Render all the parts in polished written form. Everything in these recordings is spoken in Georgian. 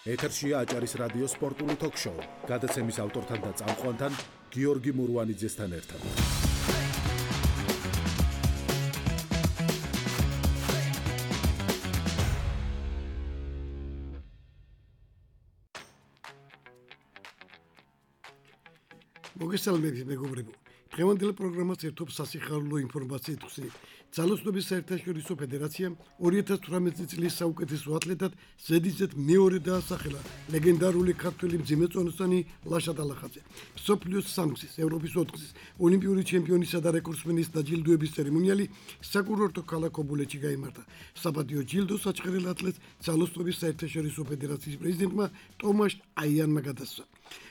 ეთერშია აჭარის რადიო სპორტული თოქ-შოუ. გადაცემის ავტორთან და წამყვანთან გიორგი მურვანიძესთან ერთად. მოგესალმებით მეგობრებო. დღევანდელ პროგრამას ერთობს სასიხარულო ინფორმაციით ხსნით. ძალოსნობის საერთაშორისო ფედერაციამ 2018 წლის საუკეთესო ათლეტად ზედიზედ მეორე დაასახელა ლეგენდარული ქართველი მძიმეწონოსანი ლაშა ტალახაძე. მსოფლიოს სამგზის, ევროპის ოთხგზის, ოლიმპიური ჩემპიონისა და რეკორდსმენის დაჯილდოების ცერემონიალი საკურორტო ქალაქ ობოლეთში გაიმართა. საპატიო ჯილდო საჩხერელ ათლეტს ძალოსნობის საერთაშორისო ფედერაციის პრეზიდენტმა ტომაშ აიანმა გადასცა.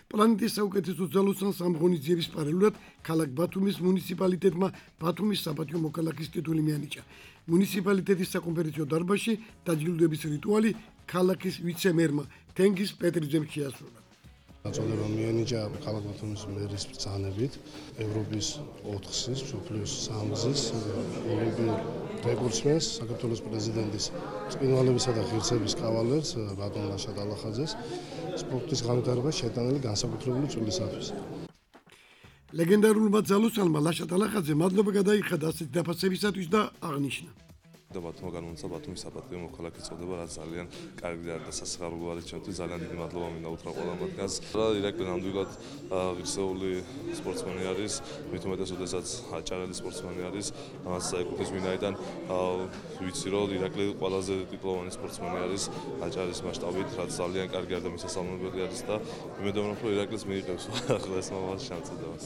პლანეტის საუკეთესო ძალოსანს ამ ღონისძიების პარალელურად ქალაქ ბათუმის მუნიციპალიტეტმა ბათუმის საპატიო მოქალაქის ტიტული მიანიჭა. მუნიციპალიტეტის საკონფერენციო დარბაზში დაჯილდოების რიტუალი ქალაქის ვიცე-მერმა თენგიზ პეტრიძემ შეასრულა. Წოდება მიანიჭა ქალაქ ბათუმის მერის ბრძანებით ევროპის 4-გზის, მსოფლიოს 3-გზის, ოლიმპიურ რეკორდსმენს, საქართველოს პრეზიდენტის წინვალებისა და ღირსების კავალერს ბატონ ლაშა ტალახაძეს სპორტის განვითარებას შეტანილი განსაკუთრებული წვლილისათვის. ლეგენდარულმა ძალოსანმა ლაშა ტალახაძე მადლობა გადაიხადა ასეთი დაფასებისათვის და აღნიშნა. ბათუმმა განმოცა ბათუმის საპატიო მოქალაქის წოდება, რაც ძალიან კარგი და სასიხარულო არის ჩემთვის. ძალიან დიდი მადლობა მინდა უთხრა ყველა მათგანს. ირაკლი ნამდვილად ღირსეული სპორტსმენი არის, მით უმეტეს როდესაც აჭარელი სპორტსმენი არის. ამას ეკუთვნის ვინაიდან ვიცი რომ ირაკლი ყველაზე ტიტულოვანი სპორტსმენი არის აჭარის მასშტაბით, რაც ძალიან კარგი და მისასალმებელი არის და იმედოვნებ რომ ირაკლიც მიიღებს ახლა ეს მომავალ შემწოდებას.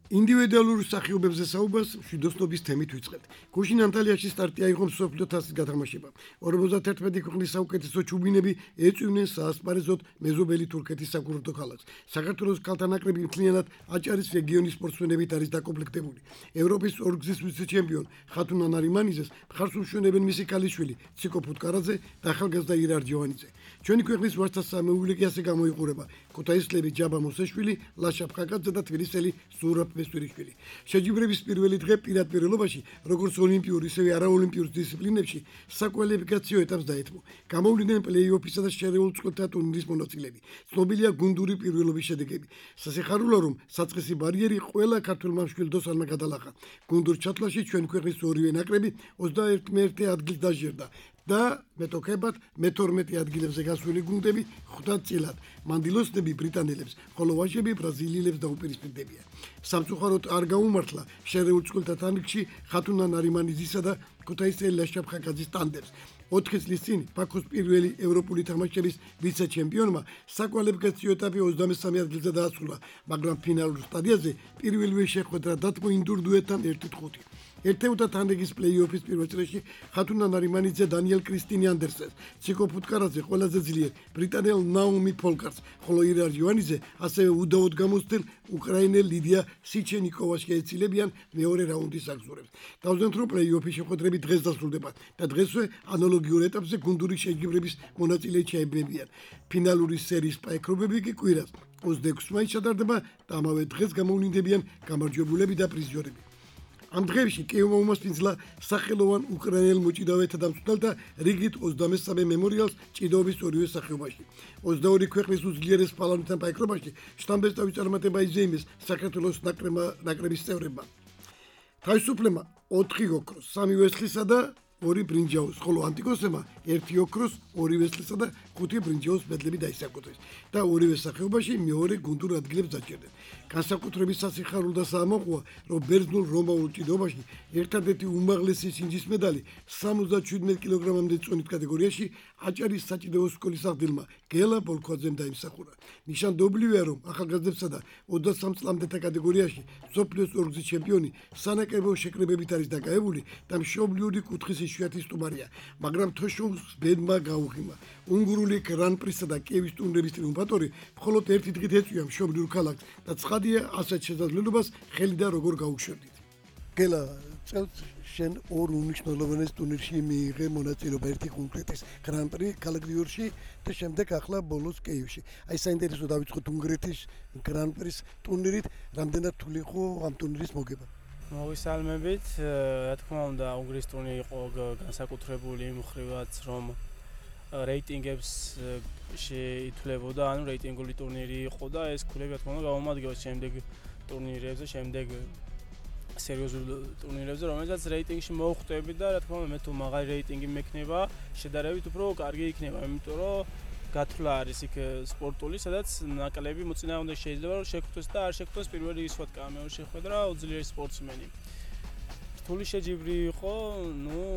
ინდივიდუალურ სახიობებზე საუბარს მშვიდოსნობის თემით ვიწყებთ. გუშინ ანტალიაში სტარტი აიღო მსოფლიო თასის გათამაშებამ. 51 ქვეყნის საუკეთესო ჩუბინები ეწვივნენ საასპარეზოდ მეზობელი თურქეთის საკურორტო ქალაქს. საქართველოს ქალთა ნაკრები მთლიანად აჭარის რეგიონის სპორტსმენებით არის დაკომპლექტებული. ევროპის 4-გზის ვიცე-ჩემპიონ ხათუნა ნარიმანიძეს მხარს უშუქებენ მისი ქალიშვილი ციკო ფუტკარაძე და ახალგაზრდა ირარ ჯოვანიძე. ჩვენი ქვეყნის ვაჟთა სამეულე კი ასე გამოიყურება. ქუთაისლები ჯაბა მოსეშვილი, ლაშა ფხაკაძე და თბილისელი ზურაბ მესტვირიშვილი. შეჯიბრების პირველი დღე პირდაპირობაში, როგორც ოლიმპიურ, ისევე არაოლიმპიურ დისციპლინებში საკვალიფიკაციო ეტაპს დაეთმო. გამოვლინდნენ პლეი-ოფისა და შერეულ წყვილთა ტურნირის მონაწილეები. ცნობილია გუნდური პირველობის შედეგები. სასიხარულოა, რომ საწყისი ბარიერი ყველა ქართველმა მშვილდოსანმა გადალახა. გუნდურ ჩათვლაში ჩვენ ქვეყნის ორივე ნაკრები 21 ადგილს დაჟერდა. და მეტოქებად მე-12 ადგილებზე გასული გუნდები 5 წილად. მანდილოსნები ბრიტანელებს, ხოლო ვაჟები ბრაზილიელებს დაუპირისპირდებიან. სამწუხაროდ არ გაუმართლა შერეულ წყვილთა თამაშში ხათუნა ნარიმანიძისა და ქუთაისელი ლაშა ფხაკაძის ტანდემს. 4 წლის წინ ბაქოს პირველი ევროპული თამაშების ვიცე-ჩემპიონმა საკვალიფიკაციო ეტაპი 23 ადგილზე დაასრულა, მაგრამ ფინალურ სტადიაზე პირველივე შეხვედრა დათმო ინდურ დუეტთან 1-5. ერთეულთა თანრიგის პლეი-ოფის პირველ წრეში ხათუნა ნარიმანიძე დანიელ კრისტინი ანდერსენს, ციკო ფუტკარაძე ყველაზე ძლიერ ბრიტანელ ნაუმი ფოლკარს, ხოლო ირარ ჯოვანიძე ასევე უდაოდ გამოცდილ უკრაინელ ლიდია სიჩენიკოვას შეეცილებიან მეორე რაუნდის აგზურებს. დავზენთ რომ პლეი-ოფის შეხვედრები დღეს დასრულდება და დღესვე ანალოგიურ ეტაპზე გუნდური შეჯიბრების მონაწილეები ჩაებებიან. ფინალური სერიის პაექრობები კი კვირას 26 მაისს ჩატარდება და ამავე დღეს გამოვლინდებიან გამარჯვებულები და პრიზიორები. ამ დღეებში კიევმა უმასპინძლა სახელოვან უკრაინელ მოჭიდავეთა დამცველთა რიგით 23 მემორიალს ჭიდაობის ორივე სახეობაში. 22 ქვეყნის უძლიერეს პალატებთან პაექრობაში შტამბესტავის წარმატება იზეიმეს საქართველოს ნაკრების წევრებმა. თავისუფლებმა 4 ოქროს, 3 ვესლისა და 2 ბრინჯაოს, ხოლო ანტიკოსებმა 1 ოქროს, 2 ვესლისა და 5 ბრინჯაოს მედლები დაისაკუთრეს და ორივე სახეობაში მეორე გუნდურ ადგილებს დაჭერდნენ. განსაკუთრებით სასიხარულო და საამოყოა, რომ ბერძნულ რომაულ ჭიდაობაში ერთადერთი უმაღლესი სინჯის медаლი 77 კილოგრამამდე წონით კატეგორიაში აჭარის საჭიდაო სკოლის აღდგენმა გელა ბოლქვაძემ დაიმსახურა. ნიშანდობლივია, რომ ახალგაზრდებსა და 23 წლამდეთა კატეგორიაში მსოფლიოს 4-გზის ჩემპიონი სანაკრებო შეკრებებით არის დაკავებული და მშობლიური კუთხის იშვიათი სტუმარია, მაგრამ თოშოუს ბედმა გაუღიმა. უნგრული გრან-პრისა და კიევის ტურნირების ტრიუმფატორი მხოლოდ ერთი დღით ეწვია მშობლიურ ქალაქს და ცხადია ასეთ შესაძლებლობას ხელი და როგორ გაუშვებდით. გელა, წელს შენ ორ უნიშნულოვანეს ტურნირში მიიღე მონაწილეობა, ერთი კონკრეტის გრან-პრი ქალაქ ნიუ-იორკში და შემდეგ ახლა ბოლოს კიევში. აი საინტერესო დავიწყოთ უნგრეთის გრან-პრის ტურნირით, რამდენად რთული იყო ამ ტურნირის მოგება? მოგესალმებით, რა თქმა უნდა, უნგრეთის ტურნირი იყო განსაკუთრებული იმ მხრივაც, რომ რეიტინგებს შეითვლებოდა, ანუ რეიტინგული ტურნირი იყო და ეს ქულები რა თქმა უნდა გამომადგება შემდეგ ტურნირებზე, შემდეგ სერიოზულ ტურნირებზე, რომელსაც რეიტინგში მოვხვდები და რა თქმა უნდა მე თუ მაღალი რეიტინგი მექნება, შედარებით უფრო კარგი იქნება, იმიტომ რომ გათვლა არის იქ სპორტული, სადაც ნაკლები მოწინააღმდეგე შეიძლება რომ შეგვთოს და არ შეგვთოს პირველ რიგის ვთქვა, მეორე შეხვედრა უძლიერი სპორტსმენი. რთული შეჯიბრი იყო,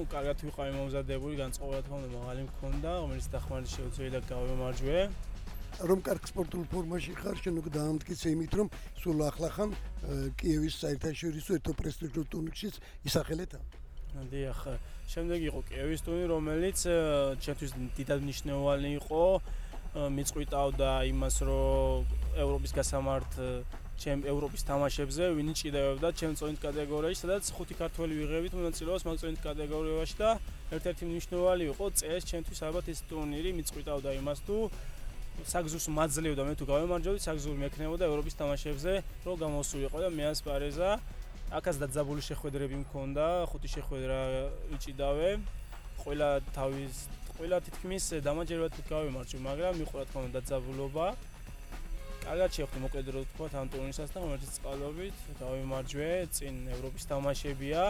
კარგად ვიყავი მომზადებული, განწყობა რა თქმა უნდა მაღალი მქონდა, რომელიც დახმარება შეუძლია გავემარჯვე. რომ კარგ სპორტულ ფორმაში ხარ, შენ უკვე დაამტკიცე იმით, რომ სულ ახლახან კიევის საერთაშორისო ერთო პრესტიჟულ ტურნირშიც ისახელეთ. დიახ, შემდეგ იყო კიევის ტურნირი, რომელიც ჩემთვის დიდად მნიშვნელოვანი იყო, მიწყვიტავდა იმას, რომ ევროპის გასამართ ევროპის თამაშებზე ვინი ჭიდაობდა ჩემ წონით კატეგორიაში, სადაც 5 ქართველი ვიღებით მონაწილეობას მაგ წონით კატეგორიაში და ერთ-ერთი მნიშვნელოვანი იყო წეს ჩემთვის ალბათ ეს ტურნირი მიწყვიტავდა იმას, თუ საგზურს მაძლევდა მე თუ გავემარჯვებდი, საგზური მექნებოდა ევროპის თამაშებზე, რომ გამოსულიყო და მე ასპარეზა. აქაც დაძაბული შეხვედრები მქონდა, 5 შეხვედრა ვიჭიდავე. ყველა თითქმის დამაჯერებლად გავემარჯვე, მაგრამ იყო რა თქმა უნდა დაძაბულობა. კარგად შევხვდი მოკლედ რო თქვა ამ ტურნირსაც და ღმერთის წყალობით გავემარჯვე, წინ ევროპის თამაშებია,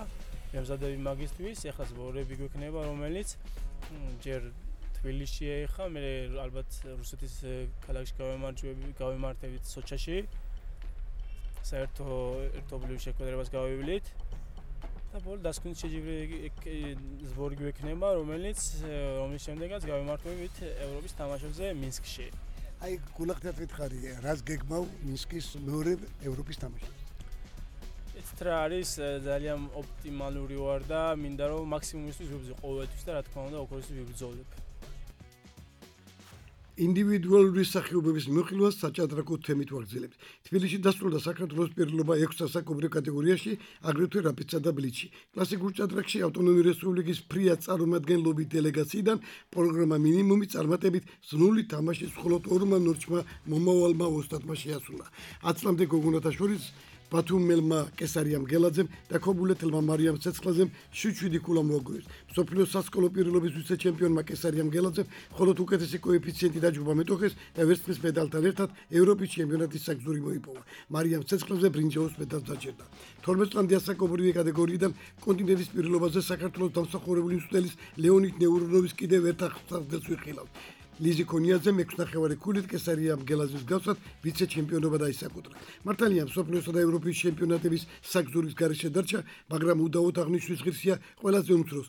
მემზადები მაგისტრის, ეხლა ზღორები გვექნება, რომელიც ჯერ თბილისშია ეხა, მე ალბათ რუსეთის ქალაქში გავემართებით სოჩაში. საერთო ერთობლივ შეხვედრებას გავივლით და ბოლო დასკვნით შეჯიბრი ზღორი გვექნება, რომლის შემდეგაც გავემართებით ევროპის თამაშებზე მინსკში. აი გულახდათ ვითხარი, რას გეგმავ მინსკის მეორე ევროპის თამაში? ეს რა არის ძალიან ოპტიმალური ვარ და მინდა რომ მაქსიმუმისთვის ვიბრძოლო ყოველთვის და რა თქმა უნდა ოქროსის ვიბრძოლებ. ინდივიდუალური სახეობების მოხილვას საჭადრაკო თემით ვაგრძელებთ. თბილისში დასრულდა საქართველოს პირველობა 6 სასაკობრივ კატეგორიაში, აგრეთვე რაპიდსა და ბლიჩში. კლასიკურ ჭადრაკში ავტონომიური რესპუბლიკის ფრიად წარმომადგენლობის დელეგაციიდან პროგრამა მინიმუმი წარმატებით სრული თამაშის მხოლოდ 2 ნორჩმა მომავალმა ოსტატმა შეასრულა. 10 წლამდე გოგონათა შორის ბათუმელმა კესარიამ გელაძემ და ქობულეთელმა მარიამ ცეცხლაძემ 7 ქულა მოაგროვეს. მსოფლიოს სასკოლო პირველობის ვიცე-ჩემპიონმა კესარიამ გელაძემ მხოლოდ უკეთესი კოეფიციენტი დაჯობა მეტოქეს და ვერცხლის მედალთან ერთად ევროპის ჩემპიონატის საგზური მოიპოვა. მარიამ ცეცხლაძე ბრინჯაოს მედალს დაჯერდა. 12 წლამდე ასაკობრივი კატეგორიიდან კონტინენტის პირველობაზე საქართველოს დამსახურებული მწვრთნელის ლეონიდ ნევრონოვის კიდევ ერთ აღსარდელს ვიხილავთ. ლიზი ქონიაძემ 6 ქულით კესარიამ გელაძის გავსად ვიცე-ჩემპიონობა დაისაკუთრა. მართალია მსოფლიოსა და ევროპის ჩემპიონატების საგზურის გარეშე დარჩა, მაგრამ უდაოდ აღნიშვნის ღირსია ყველაზე უმცროს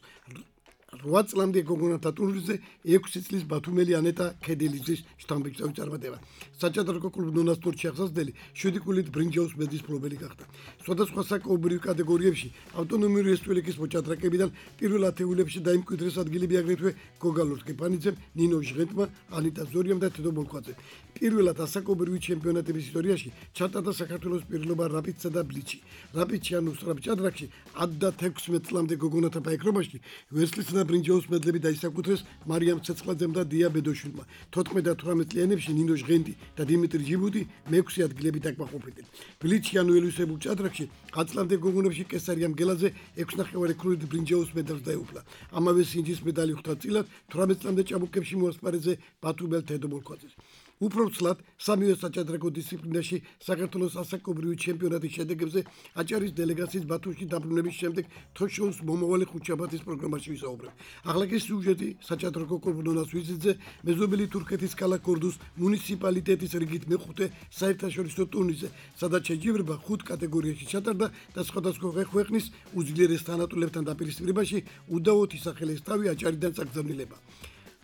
8 წლამდე გოგონათა ტურნირზე 6 წლის ბათუმელი ანეტა ქედელიძის შთამბეჭდავი წარმატება. საჭადრაკო კლუბ ნონას სპორტში აღსაზრდელი 7 ქულით ბრინჯაოს მედლის მფლობელი გახდა. სხვადასხვა საკობრივ კატეგორიებში ავტონომიური რესპუბლიკის მოჭადრაკეებიდან პირველ ათეულებში დაიმკვიდრეს ადგილები აგრეთვე გოგა ლორთქიფანიძემ, ნინო ჟღენტმა, ანიტა ზორიამ და თედო ბოლქვაძემ. პირველად ასაკობრივი ჩემპიონატების ისტორიაში ჩატარდა საქართველოს პირველობა რაპიდსა და ბლიჩში. რაპიდში ანუ სწრაფ ჭადრაკში 16 წლამდე გოგონათა ფაიქრობაში ვერცხლის და ბრინჯაოს მედლები დაისაკუთრეს მარიამ ცეცხლაძემ და დია ბედოშვილმა. 14 და 18 წლიანებში ნინო ჟღენტი და დიმიტრი ჯიბუტი მე-6 ადგილები დაკმაყოფილდნენ. ბლიჩში ანუ ელვისებულ ჭადრაკში 10 წლამდე გოგონებში კესარიამ გელაძე 6 ქულით ბრინჯაოს მედალს დაეუფლა. ამავე სინჯის მედალი ხვდა წილად 18 წლამდე ჭაბუკებში მოასპარეზე ბათუმელ თედო ბოლქვაძეს. უფრო ცლად სამივე საჭადრაკო დისციპლინაში საქართველოს ასაკობრივი ჩემპიონატის შედეგებზე აჭარის დელეგაციის ბათუმში დაბრუნების შემდეგ თოშოუს მომავალი ხუთშაბათის პროგრამაში ვისაუბრებ. ახლა სიუჟეტი საჭადრაკო კლუბ ნონას ვიზიტზე მეზობელი თურქეთის ქალაქ ორდუს მუნიციპალიტეტის რიგით მეხუთე საერთაშორისო ტურნირზე, სადაც შეჯიბრება 5 კატეგორიაში ჩატარდა და სხვადასხვა ქვეყნის უძლიერეს თანატოლებთან დაპირისპირებაში უდაოდ ისახელეს თავი აჭარიდან წაგზავნილება.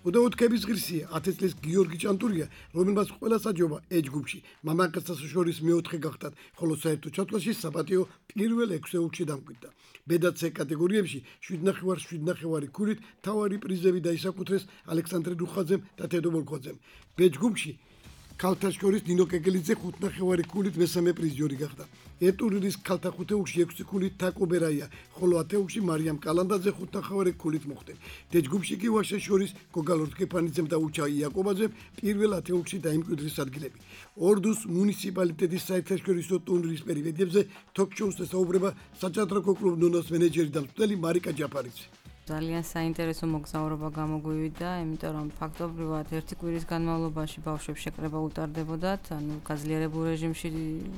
უდაოდ-ქების ღირსია 10 წლის გიორგი ჭანტურია, რომელმაც ყველა საჯობა ეჯგუფში, მამაკაცთა შორის მეოთხე გახდა, ხოლო საერთო ჩათვლაში საპატიო პირველ 6 ეულში დამკვიდრდა. ბედაც კატეგორიებში 7.5 ქულით თავარი პრიზები დაისაკუთრეს ალექსანდრე რუხაძემ და თედო ბოლქვაძემ. ბეჯგუფში ქალთა შორის ნინო კეკელიძე 5.5 ქულით მესამე პრიზიორი გახდა. ეტურირის ქალთა ხუთეულში 6 ქულით თაკო ბერაია, ხოლო ათეულში მარიამ კალანდაძე 5.5 ქულით მოხვდნენ. დეჯგუფში კი ვაშეს შორის გოგა ლორთქიფანიძემ და უჩა იაკობაძემ პირველ ათეულში დაიმკვიდრეს ადგილები. ორდუს მუნიციპალიტეტის საერთაშორისო ტურნირის პერიოდებზე თოქ-შოუს ესაუბრება საჭადრაკო კლუბ ნონას მენეჯერი და მწვრთნელი მარიკა ჯაფარიძე. ძალიან საინტერესო მოგზაურობა გამოგვივიდა, იმიტომ რომ ფაქტობრივად ერთი კვირის განმავლობაში ბავშვებს შეკრება უტარდებოდათ, ანუ გაძლიერებულ რეჟიმში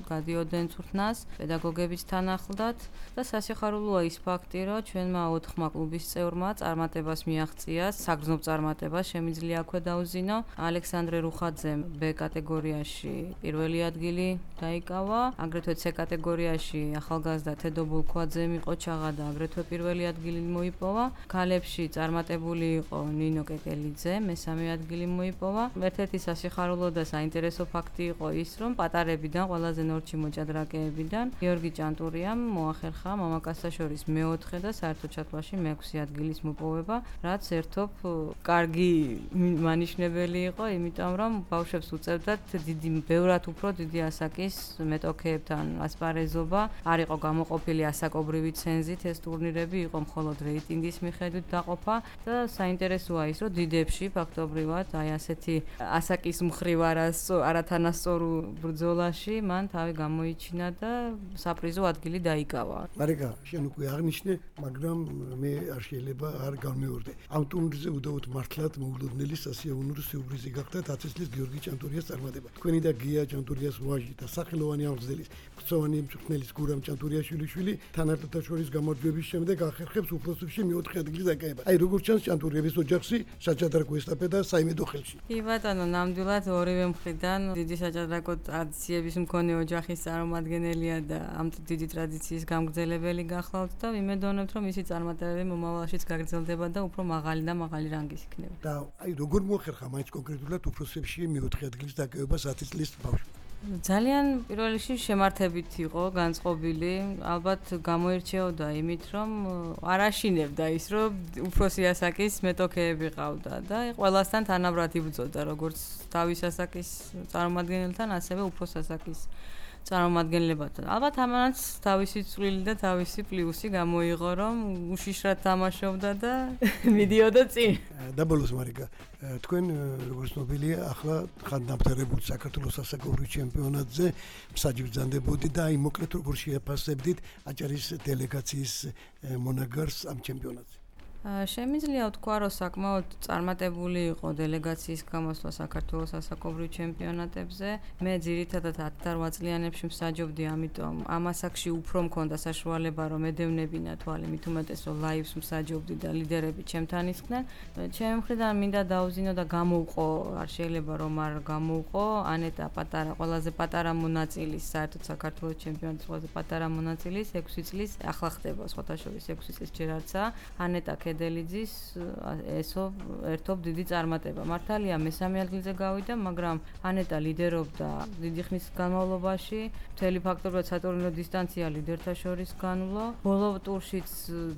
გადიოდნენ წვრთნას, პედაგოგებიც თან ახლდათ და სასიხარულოა ის ფაქტი, რომ ჩვენმა 4 კლუბის წევრმა წარმატებას მიაღწია, საგრძნობ წარმატებას შემიძლია აქვე დაუზინო. ალექსანდრე რუხაძემ B კატეგორიაში პირველი ადგილი დაიკავა, აგრეთვე C კატეგორიაში ახალგაზრდა თედო ბულქვაძემ იყო ჩაღა და აგრეთვე პირველი ადგილი მოიპოვა. ქალებში წარმატებული იყო ნინო კეკელიძე, მესამე ადგილი მოიპოვა. ერთ-ერთი სასიხარულო და საინტერესო ფაქტი იყო ის, რომ პატარებიდან, ყველაზე ნორჩი მოჭადრაკეებიდან გიორგი ჭანტურიამ მოახერხა მამაკაცთა შორის მე-4 და საერთო ჩათვლაში მე-6 ადგილის მოპოვება, რაც ერთობ კარგი მანიშნებელი იყო, იმიტომ რომ ბავშვებს უწევდათ ბევრად უფრო დიდი ასაკის მეტოქეებთან ასპარეზობა, არ იყო გამოყოფილი ასაკობრივი ცენზით ეს ტურნირები, იყო მხოლოდ რეიტინგის მიხედვით დაყოფა და საინტერესოა ის, რომ დიდებში ფაქტობრივად აი ასეთი ასაკის მხრივ არათანასწორო ბრძოლაში მან თავი გამოიჩინა და საპრიზო ადგილი დაიკავა. მარიკა, შენ უკვე აღნიშნე, მაგრამ მე არ შეიძლება არ გამეორდე. ამ ტურნირზე უდავოდ მართლაც მოულოდნელი სასიაოვნო სიურპრიზი გახდა 10 წლის გიორგი ჭანტურიას წარმატება. თქვენი და გია ჭანტურიას ვაჟი და სახელოვანი აღზრდილის მწვანე მწვრთნელის გურამ ჭანტურიაშვილი თანატოთა შორის გამარჯვების შემდეგ ახერხებს უფროსებში მე-4 ადგილის დაკავება. აი როგორც ჩანს ჭანტურიების ოჯახში საჭადრაკო ესტაფეტა საიმედო ხელში. კი ბატონო, ნამდვილად ორივე მხრიდან დიდი საჭადრაკო ტრადიციების მქონე ოჯახის წარმომადგენელია და ამ დიდი ტრადიციის გამგრძელებელი გახლავთ და ვიმედოვნებთ, რომ მისი წარმატებები მომავალშიც გაგრძელდება და უფრო მაღალი და მაღალი რანგის იქნება. და აი როგორ მოახერხა მაინც კონკრეტულად უფროსებში მე-4 ადგილის დაკავება 10 წლის ბავშვს? ძალიან პირველ რიგში შემართებით იყო განწყობილი, ალბათ გამოირჩეოდა იმით, რომ არ აშინებდა ის, რომ უფროსი ასაკის მეტოქეები ყავდა და ყველასთან თანაბრად იბრძოდა, როგორც თავის ასაკის წარმომადგენელთან, ასევე უფროს ასაკის წარმომადგენლებთან. ალბათ ამანაც თავისი წვლილი და თავისი პლუსი გამოიღო, რომ უშიშრად თამაშობდა და მიდიოდა წინ. დაბოლოს მარიკა, თქვენ როგორც ნობილია, ახლა ხან დამთავრებული საქართველოს სასაკობრივ ჩემპიონატზე მსაჯიბრძანდებოდი და აი მოკლედ როგორ შეაფასებდით აჭარის დელეგაციის მონაგარს ამ ჩემპიონატზე? შემიძლია ვთქვა, რომ საკმაოდ წარმატებული იყო დელეგაციის გამოსვლა საქართველოს სასაკობრივ ჩემპიონატებზე. მე ძირითადად 10-8 წლიანებში მსაჯობდი, ამიტომ ამ ასაკში უფრო მქონდა საშუალება, რომ ედევნებინა თვალი, მით უმეტეს რომ ლაივს მსაჯობდი და ლიდერები ჩემთან ისხდნენ. ჩემი მხრიდან მინდა დაუზინო და გამოვყო, არ შეიძლება რომ არ გამოვყო, ანეტა პატარა, ყველაზე პატარა მონაწილის, საერთოდ საქართველოს ჩემპიონატის ყველაზე პატარა მონაწილის 6 წლის, ახლა ხდება სხვათა შორის 6 წლის ჯერ არცა, ანეტა დელიძის ესო ერთობ დიდი წარმატება. მართალია მესამე ადგილზე გავიდა, მაგრამ ანეტა ლიდერობდა დიდი ხნის განმავლობაში. მთელი ფაქტობრივად სატურნირო დისტანცია ლიდერთა შორის განვლო. ბოლო ტურშიც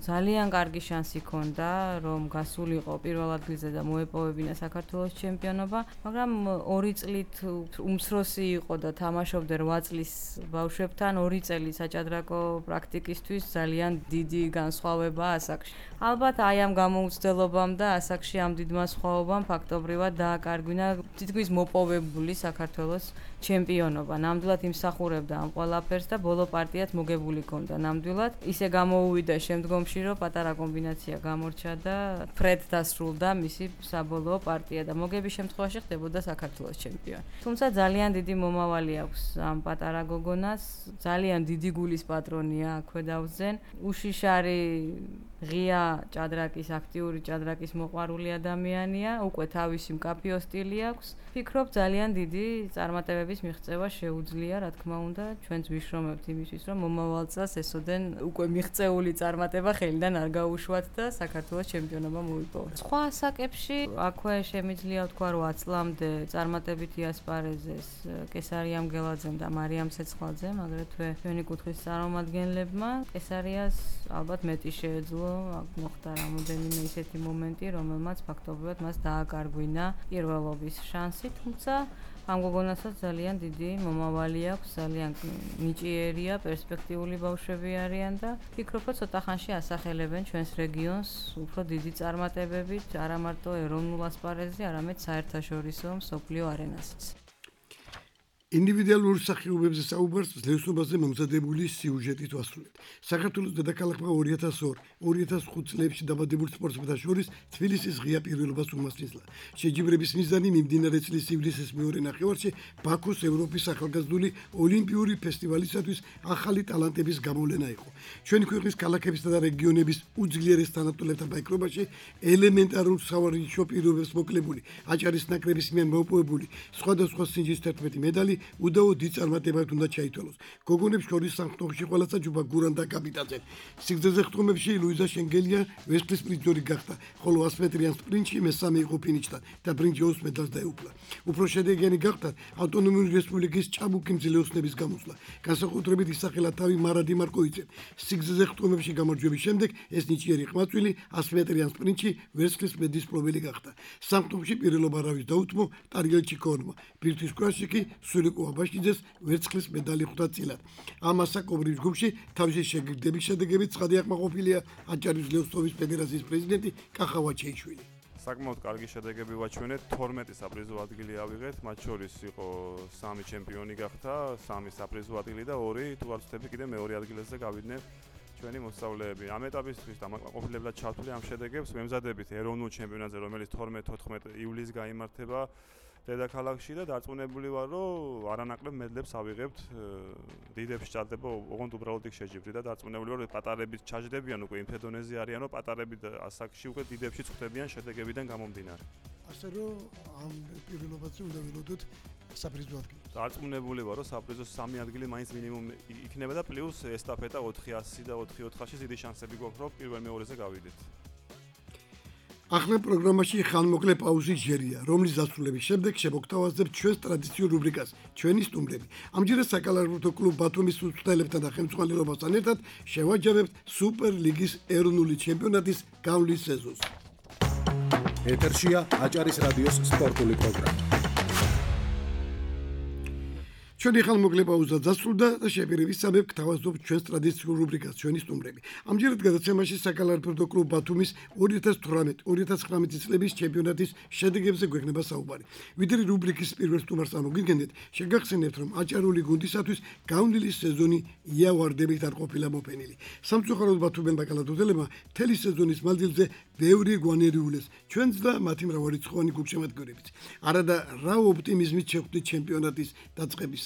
ძალიან კარგი შანსი ჰქონდა, რომ გასულიყო პირველ ადგილზე და მოეპოვებინა საქართველოს ჩემპიონობა, მაგრამ 2 წლით უმცროსი იყო და თამაშობდა 8 წლის ბავშვებთან, 2 წელი საჭადრაკო პრაქტიკისთვის ძალიან დიდი განსხვავებაა ასაკში. ალბათ აი ამ გამოუცდელობამ და ასაკში ამ დიდმა სხვაობამ ფაქტობრივად დააკარგვინა თითქმის მოპოვებული საქართველოს ჩემპიონობა. ნამდვილად იმსახურებდა ამ ყველაფერს და ბოლო პარტიაც მოგებული ჰქონდა. ნამდვილად ისე გამოუვიდა შემდგომში, რომ პატარა კომბინაცია გამორჩა და ფრედ დასრულდა მისი საბოლოო პარტია და მოგების შემთხვევაში ხდებოდა საქართველოს ჩემპიონი. თუმცა ძალიან დიდი მომავალი აქვს ამ პატარა გოგონას, ძალიან დიდი გულის პატრონია აქვე დავზენ. უშიშარი ღია ჭადრაკის, აქტიური ჭადრაკის მოყვარული ადამიანია, უკვე თავისი მკაფიო სტილი აქვს. ფიქრობ ძალიან დიდი წარმატებების მიღწევა შეუძლია, რა თქმა უნდა, ჩვენც ვიშრომებთ იმისთვის, რომ მომავალ წელს ესოდენ უკვე მიღწეული წარმატება ხელიდან არ გაუშვათ და საქართველოს ჩემპიონობა მოიპოვოთ. სხვა ასაკებში აქვე შემიძლია ვთქვა, რომ 10 წლამდე წარმატებით იასპარეზეს კესარიამ გელაძემ და მარიამ ცეცხლაძემ, აგრეთვე ჩვენი კუთხის წარმომადგენლებმა. კესარიას ალბათ მეტი შეეძლო, მოხდა რამოდენიმე ისეთი მომენტი, რომელმაც ფაქტობრივად მას დააკარგვინა პირველობის შანსი, თუმცა ამ გოგონასაც ძალიან დიდი მომავალი აქვს, ძალიან ნიჭიერია, პერსპექტიული ბავშვები არიან და ფიქრობ, რომ ცოტა ხანში ასახელებენ ჩვენს რეგიონს უფრო დიდი წარმატებებით, არა მარტო ეროვნულ ასპარეზზე, არამედ საერთაშორისო მსოფლიო არენასაც. ინდივიდუალურ სახეობებზე საუბარს ძლევსობაზე მომზადებული სიუჟეტით ვასრულებთ. საქართველოს დედაქალაქმა 2002-2005 წლებში დაბადებულ სპორტსმენთა შორის თბილისის ღია პირველობას უმასპინძლა. შეჯიბრების მიზანი მიმდინარე წლის ივლისის მეორე ნახევარში ბაქოს ევროპის ახალგაზრდული ოლიმპიური ფესტივალისათვის ახალი ტალანტების გამოვლენა იყო. ჩვენი ქვეყნის ქალაქებისა და რეგიონების უძლიერეს თანატოლებთან ბაიკრობაში ელემენტარულ სავარჯიშო პირობებს მოკლებული აჭარის ნაკრების მიერ მოპოვებული სხვადასხვა სინჯის 11 მედალი უდაო დიდ წარმატებად უნდა ჩაითვალოს. გოგონებს შორის სამხტოხში ყველა საჯუბა გურამ და კაპიტანზე. სიგრძეზე ხტომებში ლუიზა შენგელია ვერცხლის პრიზიორი გახდა, ხოლო 100 მეტრიან სპრინტში მესამე იყო ფინიშთან და ბრინჯაოს მედალს დაეუფლა. უფრო შედეგიანი გახდა ავტონომიური რესპუბლიკის ჭაბუკი მძლეოსნების გამოსვლა. განსაკუთრებით ისახელა თავი მარადი მარკოვიცემ. სიგრძეზე ხტომებში გამარჯვების შემდეგ ეს ნიჭიერი ხმაწვილი 100 მეტრიან სპრინტში ვერცხლის მედლის მფლობელი გახდა. სამხტოხში პირველობა რავის დაუთმო ტარიელ ჩიკორმა. ბირთვის კრაში კი სულიკო აბაშიძეს ვერცხლის მედალი ხვდა წილად. ამ ასაკობრივ ჯგუფში თავისი შეგირდების შედეგებით ცხადი აკმაყოფილია აჭარის ძლევსობის ფედერაციის პრეზიდენტი კახავა ჩეიშვილი. საკმაოდ კარგი შედეგები ვაჩვენეთ, 12 საპრიზო ადგილი ავიღეთ, მათ შორის იყო 3 ჩემპიონი გახდა, 3 საპრიზო ადგილი და 2 თუ არ ვცდები კიდე მეორე ადგილზე გავიდნენ ჩვენი მოსწავლეები. ამ ეტაპისთვის დამაკმაყოფილებლად ჩავთვლი ამ შედეგებს, მემზადებით ეროვნულ ჩემპიონატზე, რომელიც 12-14 ივლისს გაიმართება დედაქალაქში და დარწმუნებული ვარ, რომ არანაკლებ მედლებს ავიღებთ. დიდებში ჭარდება ოღონდ უბრალოდ იქ შეჯიბრი და დარწმუნებული ვარ, რომ პატარებით ჩაჯდებიან უკვე იმ ფედონეზე არიან, რომ პატარებით ასაკში უკვე დიდებში წხვდებიან შედეგებიდან გამომდინარე. ასე რომ ამ პირველობაზე უნდა ველოდოთ საპრიზო ადგილი. დარწმუნებული ვარ, რომ საპრიზო 3 ადგილი მაინც მინიმუმ იქნება და პლუს ესტაფეტა 400 და 4-400-ში დიდი შანსები გვაქვს, რომ პირველ-მეორეზე გავიდეთ. ახლა პროგრამაში ხანმოკლე პაუზი ჯერია, რომლის დასრულების შემდეგ შემოგთავაზებთ ჩვენს ტრადიციულ რუბრიკას ჩვენი სტუმრები. ამჯერად საკალათბურთო კლუბ ბათუმის მწვრთნელებთან და ხელმძღვანელობასთან ერთად შევაჯამებთ სუპერლიგის ეროვნული ჩემპიონატის გავლის სეზონს. ეთერშია აჭარის რადიოს სპორტული პროგრამა. ჩვენი ხანმოკლე პაუზა დასრულდა და შეპირებისამებრ გთავაზობთ ჩვენს ტრადიციულ რუბრიკას ჩვენი სტუმრები. ამჯერად გადაცემაში საკალათბურთო კლუბ ბათუმის 2018-2019 წლების ჩემპიონატის შედეგებზე გვექნება საუბარი. ვიდრე რუბრიკის პირველ სტუმარს ამოგიდგენთ, შეგახსენებთ, რომ აჭარული გუნდისათვის გავლილი სეზონი იავარდებით არ ყოფილა მოფენილი. სამწუხაროდ ბათუმელმა კალათბურთელებმა მთელი სეზონის მანძილზე ბევრი გვანერიულეს ჩვენს და მათი მრავალრიცხოვანი გულშემატკივრებით. არადა რა ოპტიმიზმით შეხვდით ჩემპიონატის დაწყების.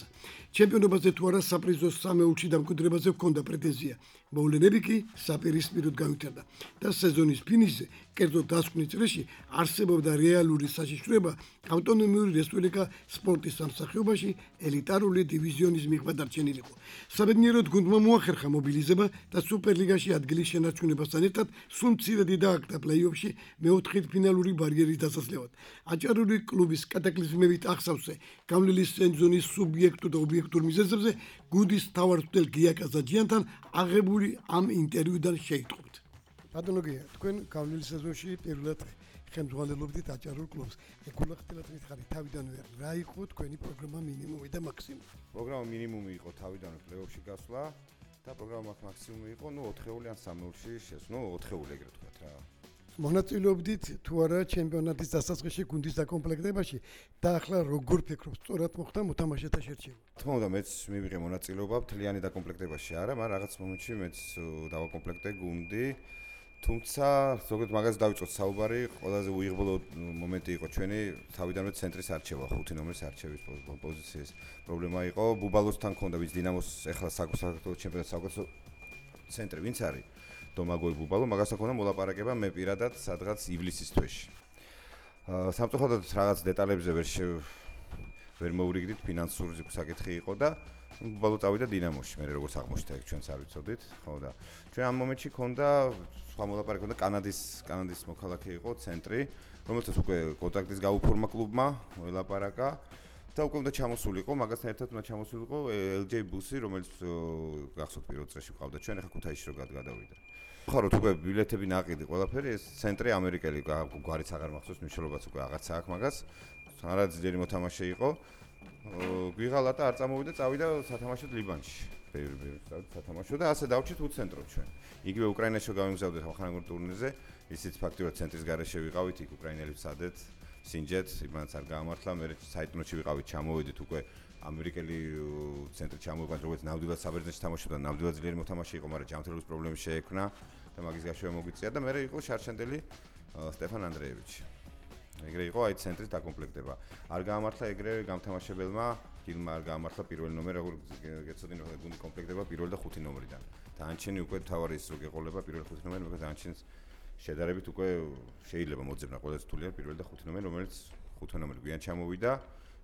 ჩემპიონობაზე თუ არა საპრიზო სამეულში დამკვიდრებაზე ჰქონდა პრეტენზია. მოვლენები კი საპირისპიროდ გავითარდა და სეზონის ფინიშზე, კერძოდ დასკვნის წრეში არსებობდა რეალური საშიშროება ავტონომიური რესპუბლიკა სპორტის სამსახიობაში ელიტარული დივიზიონის მიღება დარჩენილიყო. საბედნიეროდ გუნდმა მოახერხა მობილიზება და სუპერლიგაში ადგილის შენარჩუნებასთან ერთად სულ მცირედი დააკრა პლეი-ოფში მეოთხედ ფინალური ბარიერის დასასვლელად. აჭარული კლუბის კატაკლიზმებით ახსავსე გავლილი სეზონის სუბიექტურ და ობიექტურ მიზეზებზე გუნდის მთავარმწვრთნელ გია კაზაჯიანთან აღებული ამ ინტერვიუდან შეიტყობთ. ბატონო გია, თქვენ გავლილი სეზონში პირველად ხელმძღვანელობდით აჭარულ კლუბს. ეკულახტელად მითხარი თავიდანვე რა იყო თქვენი პროგრამა მინიმუმი და მაქსიმუმი? პროგრამა მინიმუმი იყო თავიდანვე პლეი-ოფში გასვლა და პროგრამა მაქსიმუმი იყო 4-ეული ან 3-ეული შესვლა, 4-ეული ეგრე ვთქვათ რა. მონაწილეობდით თუ არა ჩემპიონატის დასაწყისში გუნდის დაკომპლექტებაში და ახლა როგორ ფიქრობთ, სწორად მოხდა მოთამაშეთა შერჩევა? თქმა უნდა, მეც მივიღე მონაწილეობა მთლიანი დაკომპლექტებაში არა, მაგრამ რაღაც მომენტში მეც დავაკომპლექტე გუნდი. თუმცა ზოგადად მაგას დავიწყოთ საუბარი, ყველაზე უიღბლო მომენტი იყო ჩვენი თავიდანვე ცენტრის არჩევა, 5 ნომრის არჩევის პოზიციის პრობლემა იყო. ბუბალოსთან ქონდა ვინც დინამოს ეხლა საქართველოს ჩემპიონატის საუკეთესო ცენტრი ვინც არის? დომაგოი ბუბალო, მაგასთან ქონდა მოლაპარაკება მე პირადად სადღაც ივლისის თვეში. სამწუხაროდ რაღაც დეტალებზე ვერ მოვრიგდით, ფინანსური საკითხი იყო და ბუბალო წავიდა დინამოში, მე როგორც აღმოჩნდა ეგ ჩვენც არ ვიცოდით, ხო და ჩვენ ამ მომენტში ქონდა სხვა მოლაპარაკება და კანადის მოქალაქე იყო ცენტრი, რომელსაც უკვე კონტრაქტის გაუფორმა კლუბმა ველაპარაკა და უკვე უნდა ჩამოსულიყო, მაგასთან ერთად უნდა ჩამოსულიყო LJ ბუსი, რომელიც გახსოვთ პირველ წრეში ყავდა ჩვენ, ახლა ქუთაისში რო გადავიდა. ხო, რო უკვე ბილეთები ناقიდი ყველაფერი, ეს ცენტრი ამერიკელი გვარიც აღარ მახსოვს, მნიშვნელობაც უკვე აღარც აქვს მაგას. არა ძლიერი მოთამაშე იყო. გვიღალა და არ წამოვიდა, წავიდა სათამაშოდ ლიბანში. სათამაშო და ასე დავჭით უცენტროთ ჩვენ. იგივე უკრაინაში გავიმგზავრდით ახალგაზრდულ ტურნირზე, ისიც ფაქტიურად ცენტრის გარეშე ვიყავით, იქ უკრაინელებს სადეთ. სინჯეთ, იმანაც არ გაამართლა, მე საიტნოში ვიყავით, ჩამოვედით უკვე ამერიკელი ცენტრი ჩამოვიყვანეთ, როგორც ნამდვილად საბერძნეთში თამაშობდა, ნამდვილად ძლიერი მოთამაშე იყო, მაგრამ ჯანმრთელობის პრობლემები შეექმნა და მაგის გაშვება მოგვიწია და მე იყო შარშანდელი სტეფან ანდრეევიჩი. ეგრე იყო აი ცენტრის დაკომპლექტება. არ გაამართლა ეგრე გამთამაშებელმა, გილმა არ გაამართლა პირველი ნომერი, როგორ გეცოდინე გუნდი კომპლექტდება პირველი და ხუთი ნომრიდან. დანარჩენი უკვე თავარი ის რო გეყოლება პირველი ხუთი ნომერი, მაგრამ დანარჩენს შედარებით უკვე შეიძლება მოძებნა ყველაზე რთულია პირველი და ხუთი ნომერი, რომელიც ხუთი ნომერი გვიან ჩამოვიდა.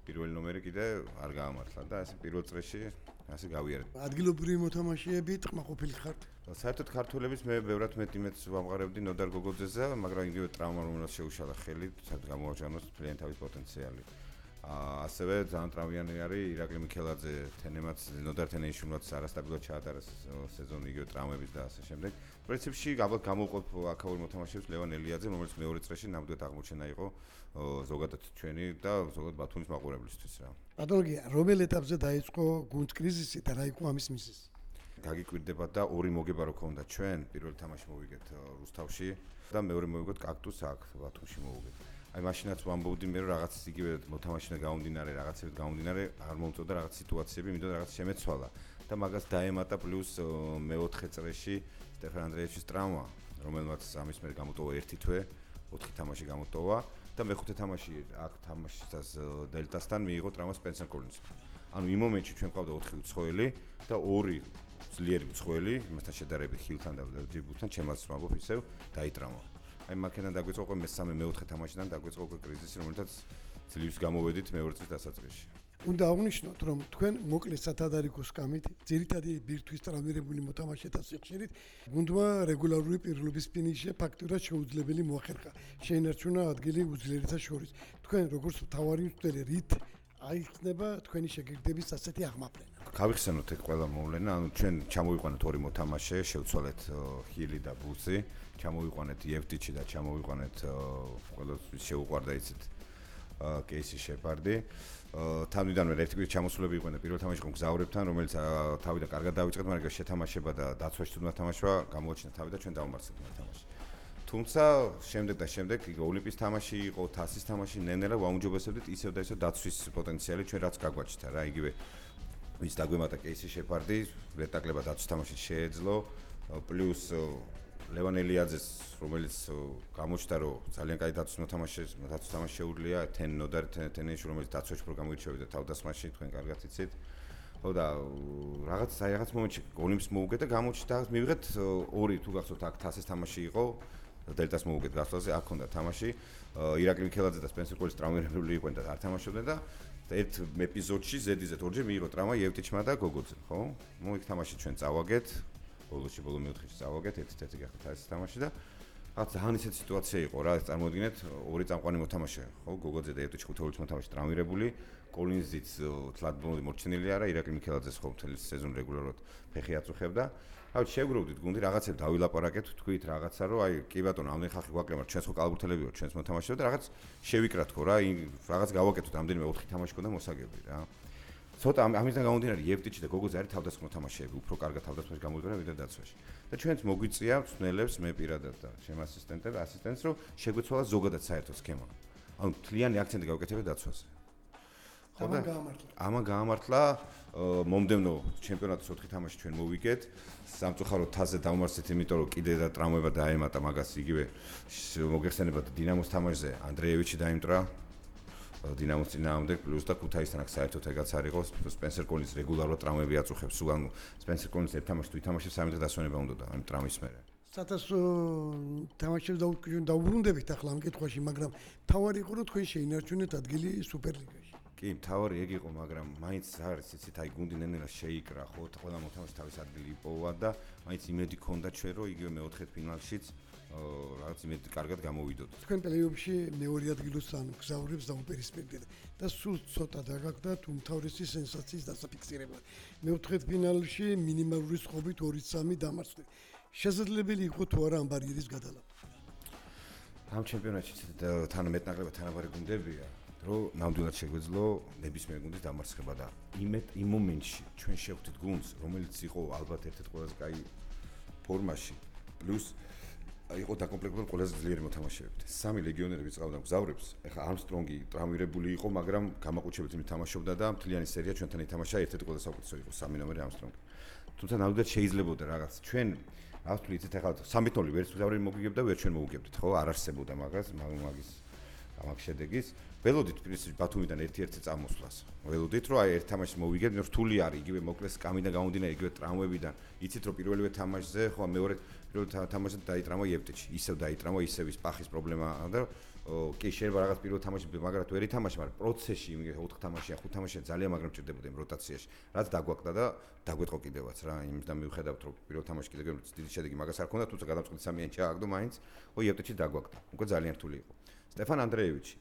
პირველი ნომერი კიდე არ გაამართლა და ეს პირველ წრეში ასე გავიარეთ. ადგილობრივი მოთამაშეები ტყმაყოფილი ხართ? საერთოდ ქართველების მე ბევრად მეტ ვამყარებდი ნოდარ გოგოძეზე, მაგრამ იგივე ტრავმა რომელიც შეუშალა ხელი, საერთოდ გამოაჩანოს მთლიანი თავის პოტენციალი. ასევე ძალიან ტრავმიანი არის ირაკლი მიქელაძე, თენემაც ნოდარ თენეიშვილმაც არასტაბილურად ჩაატარა სეზონი იგივე ტრავმების და ასე შემდეგ. პრინციპში ალბათ გამოვყოფ აქაური მოთამაშეებს ლევან ელიაძე, რომელიც მეორე წრეში ნამდვილად აღმოჩენა იყო ზოგადად ჩვენი და ზოგადად ბათუმის მაყურებლისთვის რა. ბატონო გია, რომელ ეტაპზე დაიწყო გუნდ კრიზისი და რა იყო ამის მიზეზი? გაგიკვირდება და ორი მოგება რო ქონდა ჩვენ, პირველი თამაში მოვიგეთ რუსთავში და მეორე მოვიგეთ კაქტუსს აქ ბათუმში მოვიგეთ. აი მაშინაც ვამბობდი მე რომ რაღაც იგივე მოთამაშენა გაუნდინარე, რაღაცებით გაუნდინარე, არ მომწოდა რაღაც სიტუაციები, მინდოდა რაღაც შემეცვალა და მაგას დაემატა პლუს მეოთხე წრეში სტეფან ანდრეევიჩის ტრავმა, რომელმაც ამის მერე გამოტოვა ერთი თვე, 4 თამაში გამოტოვა და მეხუთე თამაში აქ თამაშისას დელტასთან მიიღო ტრავმა სპენსერ კოლინზმა. ანუ იმ მომენტში ჩვენ ყავდა 4 უცხოელი და 2 ძლიერი უცხოელი, იმასთან შედარებით ხილთან და ჯიბუტთან, ჩემაც ვამბობ ისევ დაიტრამა. აი მაქედან დაგვეწყო უკვე მესამე მეოთხე თამაშიდან დაგვეწყო უკვე კრიზისი, რომელთაც ძლივს გამოვედით მეორე წლის დასაწყისში. უნდა აღვნიშნოთ, რომ თქვენ მოკლე სათადარიგო სკამით, ძირითადი ბირთვის ტრავმირებული მოთამაშეთა სიხშირით, გუნდმა რეგულარული პირველობის ფინიში ფაქტურად შეუძლებელი მოახერხა. შეინარჩუნა ადგილი უძლიერთა შორის. თქვენ როგორც მთავარი მცდელი რით აიხსნება თქვენი შეგირდების ასეთი აღმაფრენა? გავიხსენოთ ეგ ყველა მოვლენა, ანუ ჩვენ ჩამოვიყვანეთ ორი მოთამაშე, შევცვალეთ ჰილი და ბუცი, ჩამოვიყვანეთ იევტიჩი და ჩამოვიყვანეთ ყველასთვის შეუყვარდა იცით კეისი შეპარდი. თავიდანვე ერთი კვირის ჩამოსულები იყვნენ და პირველ თამაში იყო გზავრებთან, რომელიც თავიდან კარგად დავიწყეთ, მაგრამ შეთამაშება და დაცვაში თუ თამაშვა გამოაჩინა თავი და ჩვენ დავმარცხეთ თამაში. თუმცა შემდეგ ოლიმპის თამაში იყო, თასის თამაში ნენელა ვაუმჯობესებდით ისევ და ისევ დაცვის პოტენციალი ჩვენ რაც გაგვაჩნდა რა, იგივე ვის დაგვემატა კეისი შეპარდი, ვერტაკლება დაცვის თამაში შეეძლო, პლუს ლევან ელიაძეს, რომელიც გამოჩნდა რომ ძალიან კაი დაცვის თამაში შეუძლია, ნოდარ თენეიშვილი, რომელიც დაცვაში პროგრამირჩევიდა თავდასხმაში, თქვენ კარგად იცით. ხო და რაღაც მომენტში ოლიმპს მოვუგეთ და გამოჩნდა მივიღეთ 2 თუ გახსოვთ აქ თასის თამაში იყო დელტას მოვუგეთ გასვლაზე, აქ ჰქონდა თამაში, ირაკლი მიქელაძე და სპენსერ კოლის ტრავმირებული იყვნენ და არ თამაშობდნენ და ერთ ეპიზოდში ზედიზედ ორჯერ მიიღო ტრავმა იევტიჩმა და გოგოძემ, ხო? მოიქ თამაში ჩვენ წავაგეთ, ბოლო მეოთხეში წავაგეთ, ერთ-ერთი გახდა თასის თამაში და რაღაც ძალიან ისეთი სიტუაცია იყო რა, წარმოიდგინეთ, ორი წამყვანი მოთამაშე, ხო? გოგოძე და იევტიჩი ხუთეულის მოთამაშე ტრავმირებული, კოლინზიც თლად მოჩნილი არა, ირაკლი მიქელაძეს ხო მთელი სეზონი რეგულარულად ფეხი აწუხებდა. აი შეგვიგროვდით გუნდი რაღაცებს დავილაპარაკეთ, თქვით რაღაცა რომ აი კი ბატონო, ამდენი ხალხი გვაკლება, ჩვენს ხო კალბურთელები ვართ, ჩვენს მოთამაშეები და რაღაც შევიკრათ ხო რა, რაღაც გავაკეთოთ, ამდენიმე 4 თამაში ქონდა მოსაგები რა. ცოტა ამისგან გამომდინარე იევტიჩი და გოგოძე არის თავდასხმა მოთამაშეები, უფრო კარგად თავდასხმაში გამოიყენა ვიდრე დაცვაში. და ჩვენც მოგვიწია მწვნელებს, მე პირადად და ჩემ ასისტენტს რომ შეგვეცვალა ზოგადად საერთო სქემა. ანუ მთლიანი აქცენტი გავუკეთებთ დაცვაზე. ამან გაამართლა მომდევნო ჩემპიონატის 4 თამაში ჩვენ მოვიგეთ. სამწუხაროდ თასზე დავმარცხეთ, იმიტომ რომ კიდე და ტრავმება დაემატა მაგას იგივე მოგეხსენებათ დინამოს თამაშზე ანდრეევიჩი დაიმტრა დინამოს წინააღმდეგ პლუს და ქუთაისთან აქ საერთოდ ეგაც არ იყო სპენსერ კოლინზ რეგულარულად ტრავმები აწუხებს, სულ ანუ სპენსერ კოლინზ ერთ თამაშს თუ ითამაშებს 3 დღე დასვენება უნდა ამ ტრავმის მერე. სადაც თამაშებს დაუბრუნდებით ახლა ამ კითხვაში, მაგრამ თავარი იყო რომ თქვენ შეინარჩუნეთ ადგილი სუპერლიგაში. კი, თავარი ეგ იყო, მაგრამ მაინც არის იცით, აი გუნდი ნენელა შეიკრა, ხო, ყველა მოთამაშე თავის ადგილი იპოვა და მაინც იმედი ქონდა ჩვენ რომ იგივე მეოთხე ფინალშიც რაღაც იმედი კარგად გამოვიდოთ. თქვენ პლეიოფში მეორე ადგილოს ან გზავრებს დაუპირისპირდით და სულ ცოტა დაგაგდათ უმთავრესი სენსაციის დასაფიქსირება. მეოთხე ფინალში მინიმალური სხობით 2-3 დამარცხეთ. შესაძლებელი იყო თუ არა ამ ბარიერის გადალავა? ამ ჩემპიონატში თან მეტნაკლებად თანაბარი გუნდებია. რომ ნამდვილად შეგვეძლო ნებისმიერ გუნდის დამარცხება და იმ მომენტში ჩვენ შევხვდით გუნდს, რომელიც იყო ალბათ ერთ-ერთ ყველაზე კაი ფორმაში. პლუს იყო დაკომპლექტებული ყველაზე ძლიერი მოთამაშეებით. 3 ლეგიონერები წავდა გზავრებს. ეხლა Armstrong-ი ტრავმირებული იყო, მაგრამ გამაყუჩებით თამაშობდა და მთლიანი სერია ჩვენთან ითამაშა, ერთ-ერთი ყველაზე საუკეთესო იყო 3 ნომერი Armstrong-ი. თუმცა ნამდვილად შეიძლებოდა რაღაც. ჩვენ azt ვთვლით, ეხლა 3-0 ვერც გზავრი მოგიგებდა, ვერ ჩვენ მოუგებდით, ხო? არ არსებობდა მაგის შედეგის. ველოდით პრინციპში ბათუმიდან 1-1 წამოსვლას. ველოდით რომ აი ერთ თამაშს მოვიგებთ, რთული არის, იგივე მოკლეს კამიდან გამომდინარე, იგივე ტრავმებიდან. იცით რომ პირველივე თამაშზე, ხო, მეორე პირველ თამაშზე დაიტრამვა იევტეჩი. ისევ დაიტრამვა, ისევ ის პახის პრობლემა და კი შეიძლება რაღაც პირველ თამაშში მაგრამ თუ ვერ ითამაშე, მაგრამ პროცესში, იმე 4 თამაშია, 5 თამაშია ძალიან მაგრამ ჭირდებოდა იმ როტაციაში. რაც დაგვაკდა და დაგვეტყო კიდევაც რა, იმიდან მივხედავთ რომ პირველ თამაშში კიდევ დიდი შედეგი მაგას არ ქონდა, თუმცა გადამწყვეტი სამიანი ჩააგდო მაინც, ხო იევტეჩი დაგვაკდა. უკვე ძალიან რთული იყო. სტეფან ანდრეევიჩი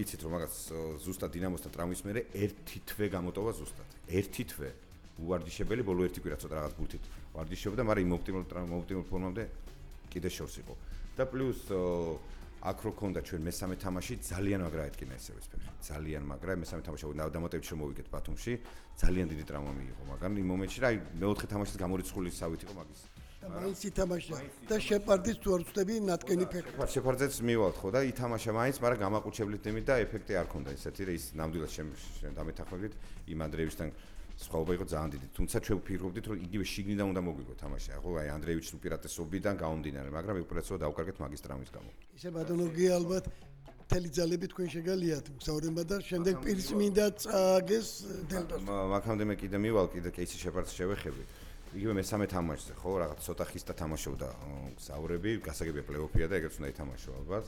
იცით რომ მაგას ზუსტად დინამოსთან ტრამვის მერე ერთი თვე გამოტოვა ზუსტად. ერთი თვე უვარჯიშებელი, ბოლო ერთი კვირა ცოტა რაღაც ბურთით ვარჯიშობდა, მაგრამ იმ ოპტიმალურ ფორმამდე კიდე შორს იყო. და პლუს აქ რო ქონდა ჩვენ მესამე თამაში ძალიან მაგრა ეთკინა ესევ ეს ფეხი. ძალიან მაგრა მესამე თამაში დამატებითში რომ მოვიგეთ ბათუმში, ძალიან დიდი ტრავმა მიიღო, მაგრამ იმ მომენტში რა მეოთხე თამაშის გამორიცხული სავით იყო მაგის. მაინც ითამაშა და შეპარდის თუ არ ვწდები ნატკენი ფეხი. შეპარდეც მივალთ ხო და ითამაშა მაინც, მაგრამ გამაყუჩებლით იმით და ეფექტი არ ქონდა ისეთი რა ის ნამდვილად დამეთანხმებით იმ ანდრეევიჩთან სხვაობა იყო ძალიან დიდი. თუმცა ჩვენ ვფიქრობდით რომ იგივე შიგნიდან უნდა მოგვიგო თამაში. ხო აი ანდრეევიჩის უპირატესობიდან გამომდინარე, მაგრამ უპირატესობა დავკარგეთ მაგის ტრამვის გამო. ისე ბატონო გია ალბათ მთელი ძალები თქვენ შეგალიათ მგზავრება და შემდეგ პირის მინდა წააგეს დელტას. მაგამდე მე კიდე მივალ კიდე კეისი შეპარდს შევეხები. იგივე მესამე თამაშზე ხო რაღაც ცოტა ხისტა თამაშობდა გზავრები, გასაგებია პლეიოფია და ეგეც უნდა ითამაშო ალბათ.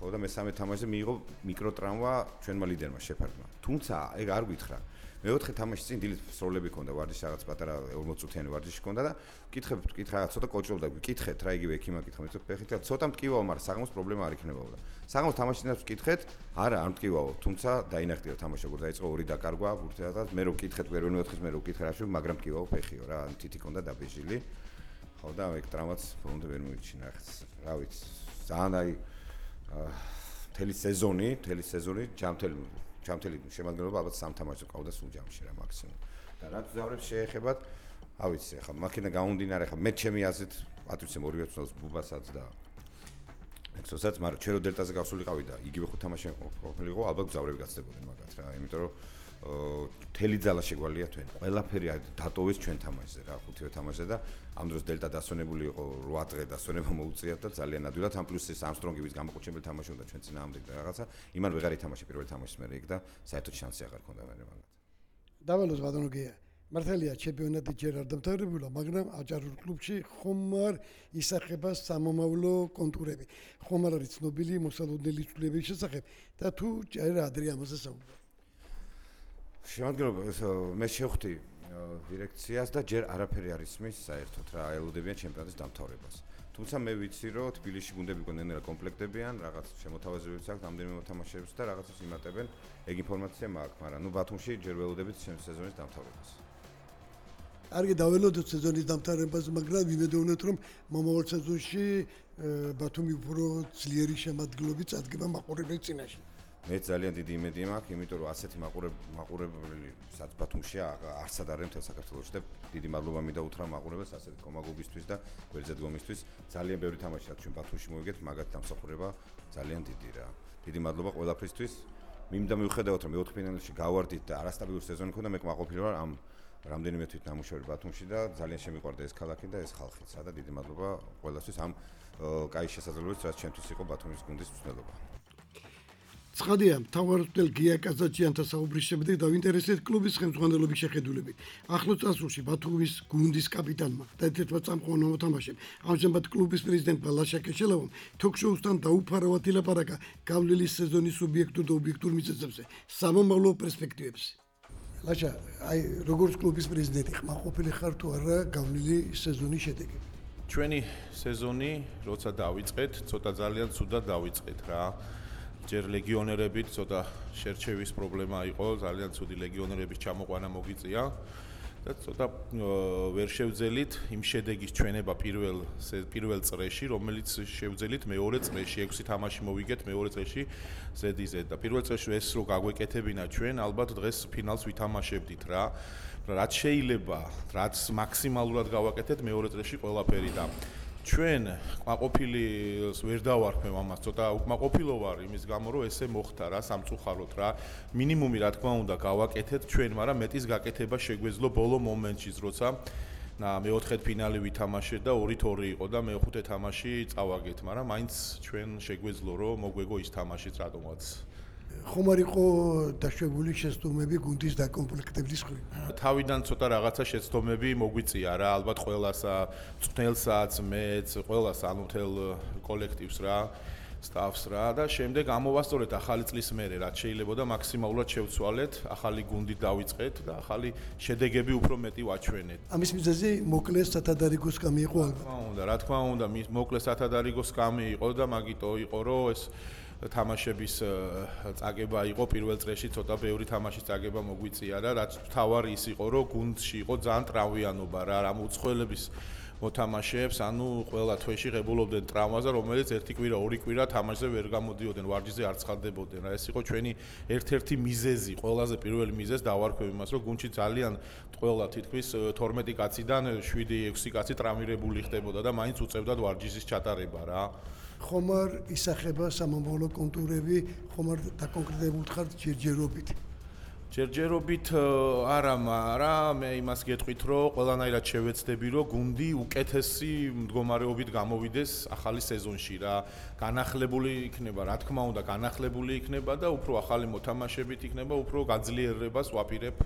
ხო და მესამე თამაშზე მიიღო მიკროტრამვა ჩვენმა ლიდერმა შეფარდმა. თუმცა ეგ არ გითხრა. მეოთხე თამაშის წინ დილით სროლები ქონდა, ვარჯიში რაღაც პატარა 40 წუთიანი ვარჯიში ქონდა და კითხა რაღაც ცოტა კოჭრობდა, გიკითხეთ რა იგივე ექიმა კითხა, მე ფეხით და ცოტა მტკივაო, მაგრამ საღამოს პრობლემა არ იქნებოდა. საღამოს თამაშინაც ვკითხეთ, არა, არ მტკივაო, თუმცა დაინახტია თამაში, როგორ დაიწყო ორი დაკარგვა ბურთებად, მე რო ვკითხეთ, პირველ მეოთხეს მე რო ვკითხე რა შეიძლება, მაგრამ მტკივაო ფეხიო რა, თითი ქონდა დაბეჟილი. ხო და ეგ ტრამვაც ფონდ ვერ მოიჩინა ახლა, რა ვიცი, ძალიან აი მთელი სეზონი ჩამთელი შემადგენლობა ალბათ 3 თამაშს ყავდა სულ ჯამში რა მაქსიმუმ. და რაც ზავრებს შეეხებათ, ავიცი, ახლა მაქინა გამომდინარე, ახლა მე ჩემი აზრით, პატრიცემ 2 წელს ბუბასაც და ექსოსაც, მაგრამ ჩვენ რო დელტაზე გავსულიყავი და იგივე 5 თამაში ყოფილიყო, ალბათ ზავრები გაცდებოდნენ მაგათ რა, იმიტომ რომ მთელი ძალა შეგვალია თქვენ. ყველაფერი დატოვეს ჩვენ თამაშზე რა, 5-ვე თამაშზე და ამ დროს დელტა დასვენებული იყო 8 დღე დასვენება მოუწიათ და ძალიან ადვილად ამ პლუს ეს Armstrong-ი ვის გამაყუჩებელი თამაში უნდა ჩვენ წინააღმდეგ და რაღაცა იმან ვეღარ ითამაშა პირველ თამაშის მერე იქ და საერთოდ შანსი აღარ ქონდა მერე მაგათ. დავალოს ბატონო გია. მართალია ჩემპიონატი ჯერ არ დამთავრებულა, მაგრამ აჭარულ კლუბში ხომ არ ისახება სამომავლო კონტურები. ხომ არ არის ცნობილი მოსალოდნელი ცვლილებების შესახებ და თუ ჯერ ადრე ამაზე საუბრობ. შემადგენლობა მე შევხვდი დირექციას და ჯერ არაფერი არ ისმის საერთოდ რა ელოდებიან ჩემპიონატის დამთავრებას. თუმცა მე ვიცი რომ თბილისში გუნდები კონდენერა კომპლექტებიან, რაღაც შემოთავაზებებიც აქვს რამდენიმე მოთამაშეებს და რაღაცას იმატებენ. ეგ ინფორმაცია მაქვს, მაგრამ ნუ ბათუმში ჯერ ველოდებით სეზონის დამთავრებას. კარგი დაველოდოთ სეზონის დამთავრებას, მაგრამ ვიმედოვნოთ რომ მომავალ სეზონში ბათუმი უფრო ძლიერი შემადგენლობით წადგება მაყურებლის წინაშე. მე ძალიან დიდი იმედი მაქვს, იმიტომ რომ ასეთი მაყურებელი სადაც ბათუმშია არსად არის მთელ საქართველოში და დიდი მადლობა მინდა უთხრა მაყურებელს ასეთი კომაგობისთვის და გვერდზე დგომისთვის. ძალიან ბევრი თამაშია ჩვენ ბათუმში მოვიგეთ, მაგათ დამსახურება ძალიან დიდი რა. დიდი მადლობა ყველაფრისთვის. მინდა მივხვდეთ რომ მეოთხფინალში გავარდით და არასტაბილური სეზონი ქონდა, მე კმაყოფილი ვარ ამ რამდენიმე თვით ნამუშევარი ბათუმში და ძალიან შემიყვარდა ეს ქალაქი და ეს ხალხიც და დიდი მადლობა ყველასთვის ამ კაი შესაძლებლობისთვის, რაც ჩემთვის იყო ბათუმის გუნდის მცდელობა. ცხადია, მთავარწვრთნელ გია კაზაჭიანთან საუბრის შემდეგ დავინტერესეთ კლუბის ხელმძღვანელობის შეხედულებით. ახლო წასულში ბათუმის გუნდის კაპიტანმა და ერთ-ერთმა წამყვან მოთამაშემ, ამჟამად კლუბის პრეზიდენტმა ლაშა კეშელავამ თოქ-შოუსთან დაუფარავად ილაპარაკა გავლილი სეზონის სუბიექტურ და ობიექტურ მიზეზებზე, სამომავლო პერსპექტივებზე. ლაშა, აი როგორც კლუბის პრეზიდენტი ხმაყოფილი ხარ თუ არა გავლილი სეზონის შედეგი? ჩვენი სეზონი, როცა დავიწყეთ, ცოტა ძალიან ცუდად დავიწყეთ რა. ჯერ ლეგიონერებით ცოტა შერჩევის პრობლემა იყო, ძალიან ცუდი ლეგიონერების ჩამოყვანა მოგიწია და ცოტა ვერ შევძელით იმ შედეგის ჩვენება პირველ წრეში, რომელიც შევძელით მეორე წრეში, 6 თამაში მოვიგეთ მეორე წრეში ზედიზედ და პირველ წრეში ეს რო გაგვეკეთებინა ჩვენ, ალბათ დღეს ფინალს ვითამაშებდით რა. რაც შეიძლება, რაც მაქსიმალურად გავაკეთეთ მეორე წრეში ყველაფერი და ჩვენ კმაყოფილს ვერ დავარქმევ ამას, ცოტა უკმაყოფილო ვარ იმის გამო, რომ ესე მოხდა რა, სამწუხაროდ რა. მინიმუმი რა თქმა უნდა გავაკეთეთ ჩვენ, მაგრამ მეტის გაკეთება შეგვეძლო ბოლო მომენტში, როცა მეოთხედ ფინალი ვითამაშეთ და 2-2 იყო და მეხუთე თამაში წავაგეთ, მაგრამ მაინც ჩვენ შეგვეძლო რომ მოგვეგო ის თამაშიც რატომაც. ხომ არ იყო დაშვებული შეცდომები გუნდის დაკომპლექტების მხრივ? თავიდან ცოტა რაღაცა შეცდომები მოგვიწია რა, ალბათ ყველასა, წვნელსაც, მეც, ყველას ანუ მთელ კოლექტივს რა, სტაფს რა და შემდეგ ამოვასწორეთ ახალი წლის მერე, რაც შეიძლება და მაქსიმალურად შევცვალეთ, ახალი გუნდი დავიწყეთ და ახალი შედეგები უფრო მეტი ვაჩვენეთ. ამის მიზეზი მოკლეს სათადარიგოს კამი იყო ალბათ. რა თქმა უნდა, მოკლეს სათადარიგოს კამი იყო და მაგიტო იყო, რომ ეს თამაშების წაგება იყო პირველ წრეში ცოტა ბევრი თამაშის წაგება მოგვიწია და რაც თავარი ის იყო, რომ გუნდში იყო ძალიან ტრავმიანობა რა, რამ უცხოელების მოთამაშეებს, ანუ ყველა თვეში ღებულობდნენ ტრავმაზე, რომელიც ერთი კვირა, ორი კვირა თამაშზე ვერ გამოდიოდნენ, ვარჯიშზე არ ცხადდებოდნენ. ეს იყო ჩვენი ერთ-ერთი მიზეზი, ყველაზე პირველი მიზეზი დავარქვევ იმას, რომ გუნდში ძალიან ყველა თითქმის 12 კაციდან 7-6 კაცი ტრავმირებული ხდებოდა და მაინც უწევდათ ვარჯიშის ჩატარება რა. ხომ არ ისახება სამომავლო კონტურები, ხომ არ დაკონკრეტებულ ხარ ჯერჯერობით? ჯერჯერობით არა, მაგრამ მე იმას გეტყვით, რომ ყველანაირად შევეცდები, რომ გუნდი უკეთესი მდგომარეობით გამოვიდეს ახალი სეზონში რა. განახლებული იქნება, რა თქმა უნდა, განახლებული იქნება და უფრო ახალი მოთამაშებით იქნება, უფრო გაძლიერებას ვაპირებ,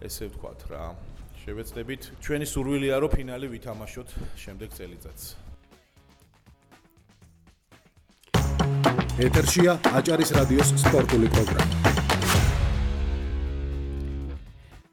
ესე ვთქვათ რა. შევეცდებით, ჩვენი სურვილია, რომ ფინალი ვითამაშოთ შემდეგ წელიწადს. ეთერშია აჭარის რადიოს სპორტული პროგრამა.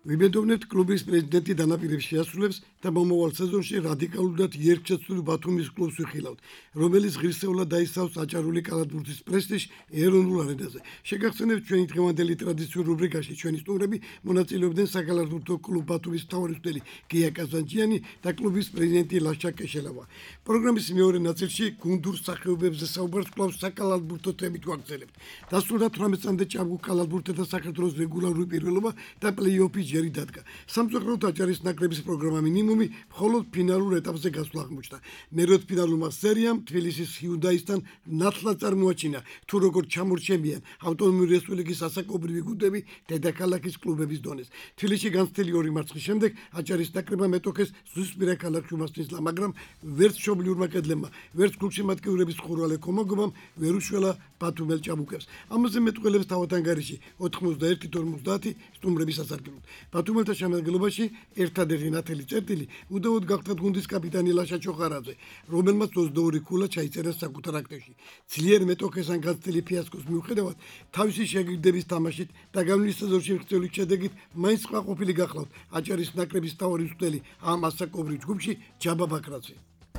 ვიმედოვნებთ კლუბის პრეზიდენტი დანაპირებს შეასრულებს და მომავალ სეზონში რადიკალურად იერთშეცვლილ ბათუმის კლუბს ვიხილავთ, რომელიც ღირსეულად დაისავს აჭარული კალათბურთის პრესტიჟს ეროვნულ არენაზე. შეგახსენებთ ჩვენი დღევანდელი ტრადიციურ რუბრიკაში ჩვენი სტუმრები მონაწილეობდნენ საკალათბურთო კლუბ ბათუმის მთავარი მცდელი გია კაზანჯიანი და კლუბის პრეზიდენტი ლაშა კეშელავა. პროგრამის მეორე ნაწილში გუნდურ სახეობებზე საუბარს კვლავ საკალათბურთო თემით ვაგრძელებთ. დასრულდა 18 წამდე ჭაბუკ კალათბურთელთა საქართველოს რეგულარული პირველობა და პლეი-ოფი ჯერი დადგა. სამწუხაროდ აჭარის ნაკრების პროგრამა მინიმუმი მხოლოდ ფინალურ ეტაპზე გასვლა აღმოჩნდა. მეროთფინალურმა სერიამ თბილისის ჰიუნდაისთან ნათლად წარმოაჩინა, თუ როგორ ჩამორჩენიან ავტონომიური რესპუბლიკის ასაკობრივი გუნდები დედაქალაქის კლუბების დონეს. თბილისში განცდილი 2 მარცხის შემდეგ აჭარის ნაკრებმა მეტოქეს ზუსტპირა ქალაქში უმასპინძლა, მაგრამ ვერც მშობლიურმა კედლებმა, ვერც გულშემატკივრების ხურვალე კომაგობამ ვერ უშველა ბათუმელ ჭაბუკებს. ამაზე მეტყველებს თავადანგარიში 91-50 სტუმრების ასარგებლოდ. ბათუმელთა შემადგენლობაში ერთადერთი ნათელი წერტილი უდავოდ გახდა გუნდის კაპიტანი ლაშა ჩოხარაძე, რომელმაც 22 ქულა ჩაიწერა საკუთარ აქტივში. ძლიერ მეტოქესთან განცდილი ფიასკოს მიუხედავად, თავისი შეგირდების თამაშით და გამლის სეზონში მიღწეული შედეგით მაინც ყვაყოფილი გახლავთ აჭარის ნაკრების მთავარი მცდელი ამ ასაკობრივ ჯგუფში ჯაბა ბაქრაძე.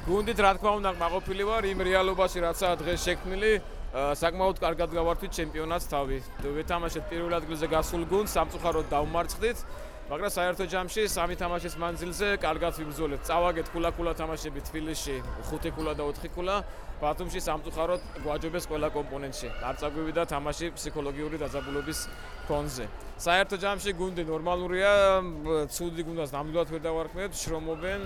გუნდით რა თქმა უნდა ყვაყოფილი ვარ იმ რეალობაში, რაცაა დღეს შექმნილი. საკმაოდ კარგად გავართვით ჩემპიონატს თავი. ვეთამაშეთ პირველ ადგილზე გასულ გუნდს, სამწუხაროდ დავმარცხდით, მაგრამ საერთო ჯამში 3 თამაშის მანძილზე კარგად ვიბრძოლეთ. წავაგეთ ქულა-ქულა თამაშები თბილისში, 5 ქულა და 4 ქულა. ბათუმში სამწუხაროდ გვაჯობეს ყველა კომპონენტში. არ წაგვივიდა თამაში ფსიქოლოგიური დაძაბულობის ფონზე. საერთო ჯამში გუნდი ნორმალურია, ცუდი გუნდს ნამდვილად ვერ დავარქმევთ, შრომობენ,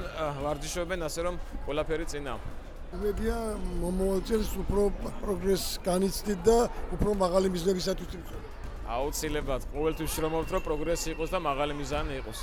ვარჯიშობენ, ასე რომ ყველაფერი წინა. იმედია მომავალ წელს უფრო პროგრესს განიცდით და უფრო მაღალი მიზნებისათვის ვიმუშაოთ. აუცილებლად ყოველთვის შრომობთ, რომ პროგრესი იყოს და მაღალი მიზანი იყოს.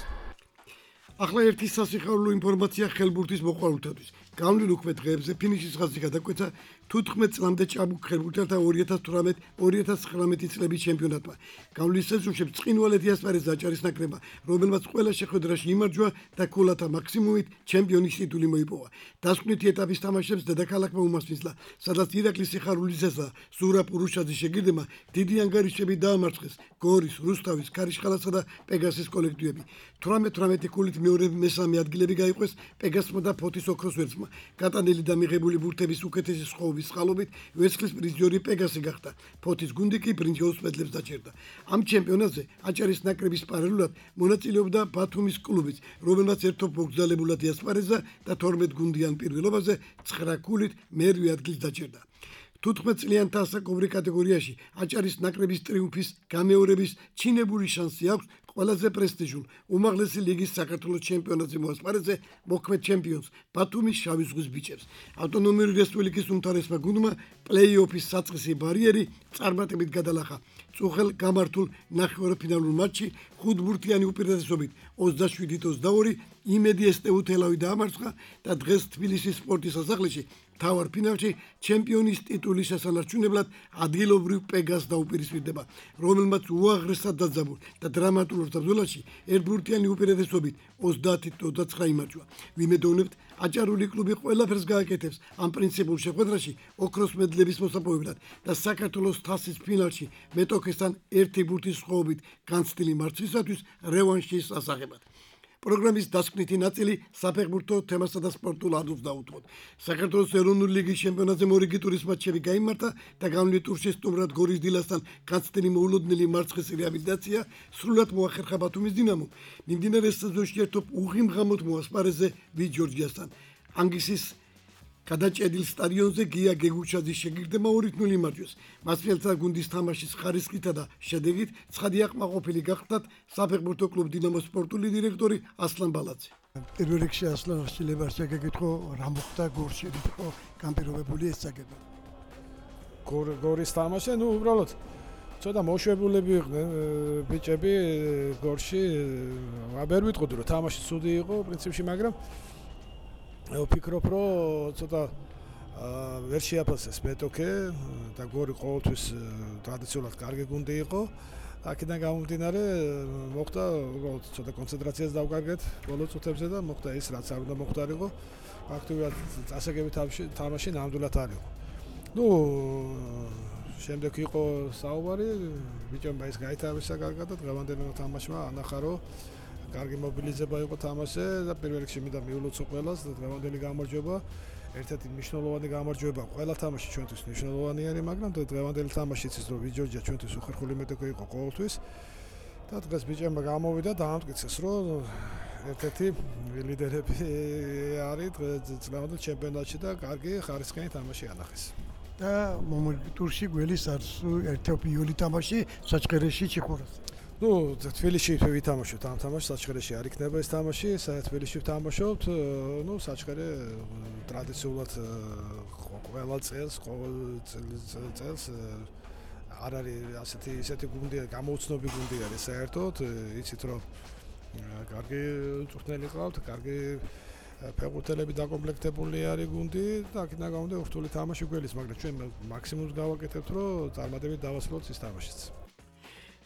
ახლა ერთი სასიხარულო ინფორმაცია ხელბურთის მოყვარულთათვის. გავლილ უქმე დღეებზე ფინიშის ხაზი გადაკვეთა 14 წლამდე ჭაბუკ ხელბურთელთა 2018-2019 წლების ჩემპიონატმა. გავლის სეზონში ბრწყინვალეთი ასპარეზა აჭარის ნაკრებმა, რომელმაც ყველა შეხვედრაში იმარჯვა და ქულათა მაქსიმუმით ჩემპიონის ტიტული მოიპოვა. დასკვნითი ეტაპის თამაშებს დედაქალაქმა უმასპინძლა, სადაც ირაკლის სიხარულისასა ზურაბ ურუშაძის შეგირდებმა დიდი ანგარიშები დაამარცხეს გორის, რუსთავის, ქარიშხალასა და პეგასის კოლექტივები. 18 ქულით მეორე-მესამე ადგილები გაიყვეს პეგასმა და ფოთის ოქროს ვერცხლმა. გატანილი და მიღებული ბურთების უკეთესი სხოვის წყალობით ვერცხლის პრიზიორი პეგასი გახდა. ფოთის გუნდი კი ბრინჯაოს მედლებს დაჭერდა. ამ ჩემპიონატზე აჭარის ნაკრების პარალელურად მონაწილეობდა ბათუმის კლუბიც, რომელმაც ერთობ მოგზალებულად იასპარეზა და 12 გუნდიან პირველობაზე 9 ქულით მერვე ადგილს დაჭერდა. 15 წლიანთა ასაკობრივ კატეგორიაში აჭარის ნაკრების ტრიუმფის გამეორების ჩინებული შანსი აქვს ყველაზე პრესტიჟულ უმაღლესი ლიგის საქართველოს ჩემპიონატზე მოასპარეზე მოქმედ ჩემპიონს ბათუმის შავი ზღვის ბიჭებს. ავტონომიური რესპუბლიკის უმთავრესმა გუნდმა პლეი-ოფის საწყისი ბარიერი წარმატებით გადალახა. წუხელ გამართულ ნახევარფინალურ მატჩში 5 ბურთიანი უპირატესობით 27-22 იმედი ესტეუ თელავი დაამარცხა და დღეს თბილისის სპორტის სასახლეში თავარ ფინალში ჩემპიონის ტიტულის შესანარჩუნებლად ადგილობრივ პეგას დაუპირისპირდება, რომელმაც უაღრესად დაძაბულ და დრამატულ ბრძოლაში ერთბურთიანი უპირატესობით 30-29 იმარჯვა. ვიმედოვნებთ, აჭარული კლუბი ყველაფერს გააკეთებს ამ პრინციპულ შეხვედრაში ოქროს მედლების მოსაპოვებლად და საქართველოს თასის ფინალში მეტოქესთან ერთი ბურთის სხვაობით განცდილი მარცხისათვის რევანშის ასაღებად. პროგრამის დასკვნითი ნაწილი საფეხბურთო თემასა და სპორტულ ადვილს დაუთმოთ. საქართველოს ეროვნული ლიგის ჩემპიონატზე მორიგი ტურის მატჩები გაიმართა და გამვლით ტურში სტუმრად გორის დილასთან განცდილი მოულოდნელი მარცხის რეაბილიტაცია სრულად მოახერხა ბათუმის დინამომ. მიმდინარე სეზონში ერთობ უღიმღამოდ მოასპარეზე ვით ჯორჯიასთან. ანგისის გადაჭედილ სტადიონზე გია გეგუჩაძის შეგირდება 2-0 იმარჯვეს. მასპინძლა გუნდის თამაშის ხარისხითა და შედეგით ცხადი აკმაყოფილი გახდათ საფეხბურთო კლუბ დინამოს სპორტული დირექტორი ასლან ბალაძე. პირველ რიგში ასლან აღშილებას შეგეკითხო რა მოხდა გორში, ხო განპირობებული ეს საკითხი. გორის თამაში, უბრალოდ ცოტა მოშვებულები იყვნენ ბიჭები გორში. ვერ ვიტყოდი რომ თამაში ცუდი იყო პრინციპში, მაგრამ ვფიქრობ რომ ცოტა ვერ შეაფასეს მეტოქე და გორი ყოველთვის ტრადიციულად კარგი გუნდი იყო. აქედან გამომდინარე მოხდა უბრალოდ ცოტა კონცენტრაციას დავკარგეთ ბოლო წუთებზე და მოხდა ის რაც არ უნდა მოხდარიყო. ფაქტობრივად წასაგები თამაში ნამდვილად არ იყო. შემდეგ იყო საუბარი ბიჭებმა ის გაითავისა კარგად და დღევანდელი თამაშმა ანახა რომ კარგი მობილიზება იყო თამაშზე და პირველ რიგში მინდა მიულოცო ყველას და დღევანდელი გამარჯვება ერთ-ერთი მნიშვნელოვანი გამარჯვება ყველა თამაში ჩვენთვის მნიშვნელოვანია, მაგრამ დღევანდელი თამაშიც ის რომ ვიჯორჯია ჩვენთვის უხერხული მეტოქე იყო ყოველთვის და დღეს ბიჭებმა გამოვიდა და ამტკიცეს რომ ერთ-ერთი ლიდერები არის დღევანდელ ჩემპიონატში და კარგი ხარისხიანი თამაში ანახეს. და ტურში გველის არის ერთ-ერთი იული თამაში საჩხერეში ჩიხურას. თბილისში ვითამაშოთ ამ თამაშს, საჩხერეში არ იქნება ეს თამაში, თბილისში ვთამაშობთ, საჩხერე ტრადიციულად ყველა წელს არ არის ისეთი გუნდი, გამოუცნობი გუნდი არის საერთოდ, იცით რომ კარგი წვრთნელი ყავთ, კარგი ფეხბურთელები დაკომპლექტებული არის გუნდი და აქედან გამომდინარე რთული თამაში გველის, მაგრამ ჩვენ მაქსიმუმს გავაკეთებთ რომ წარმატებით დავასრულოთ ის თამაშიც.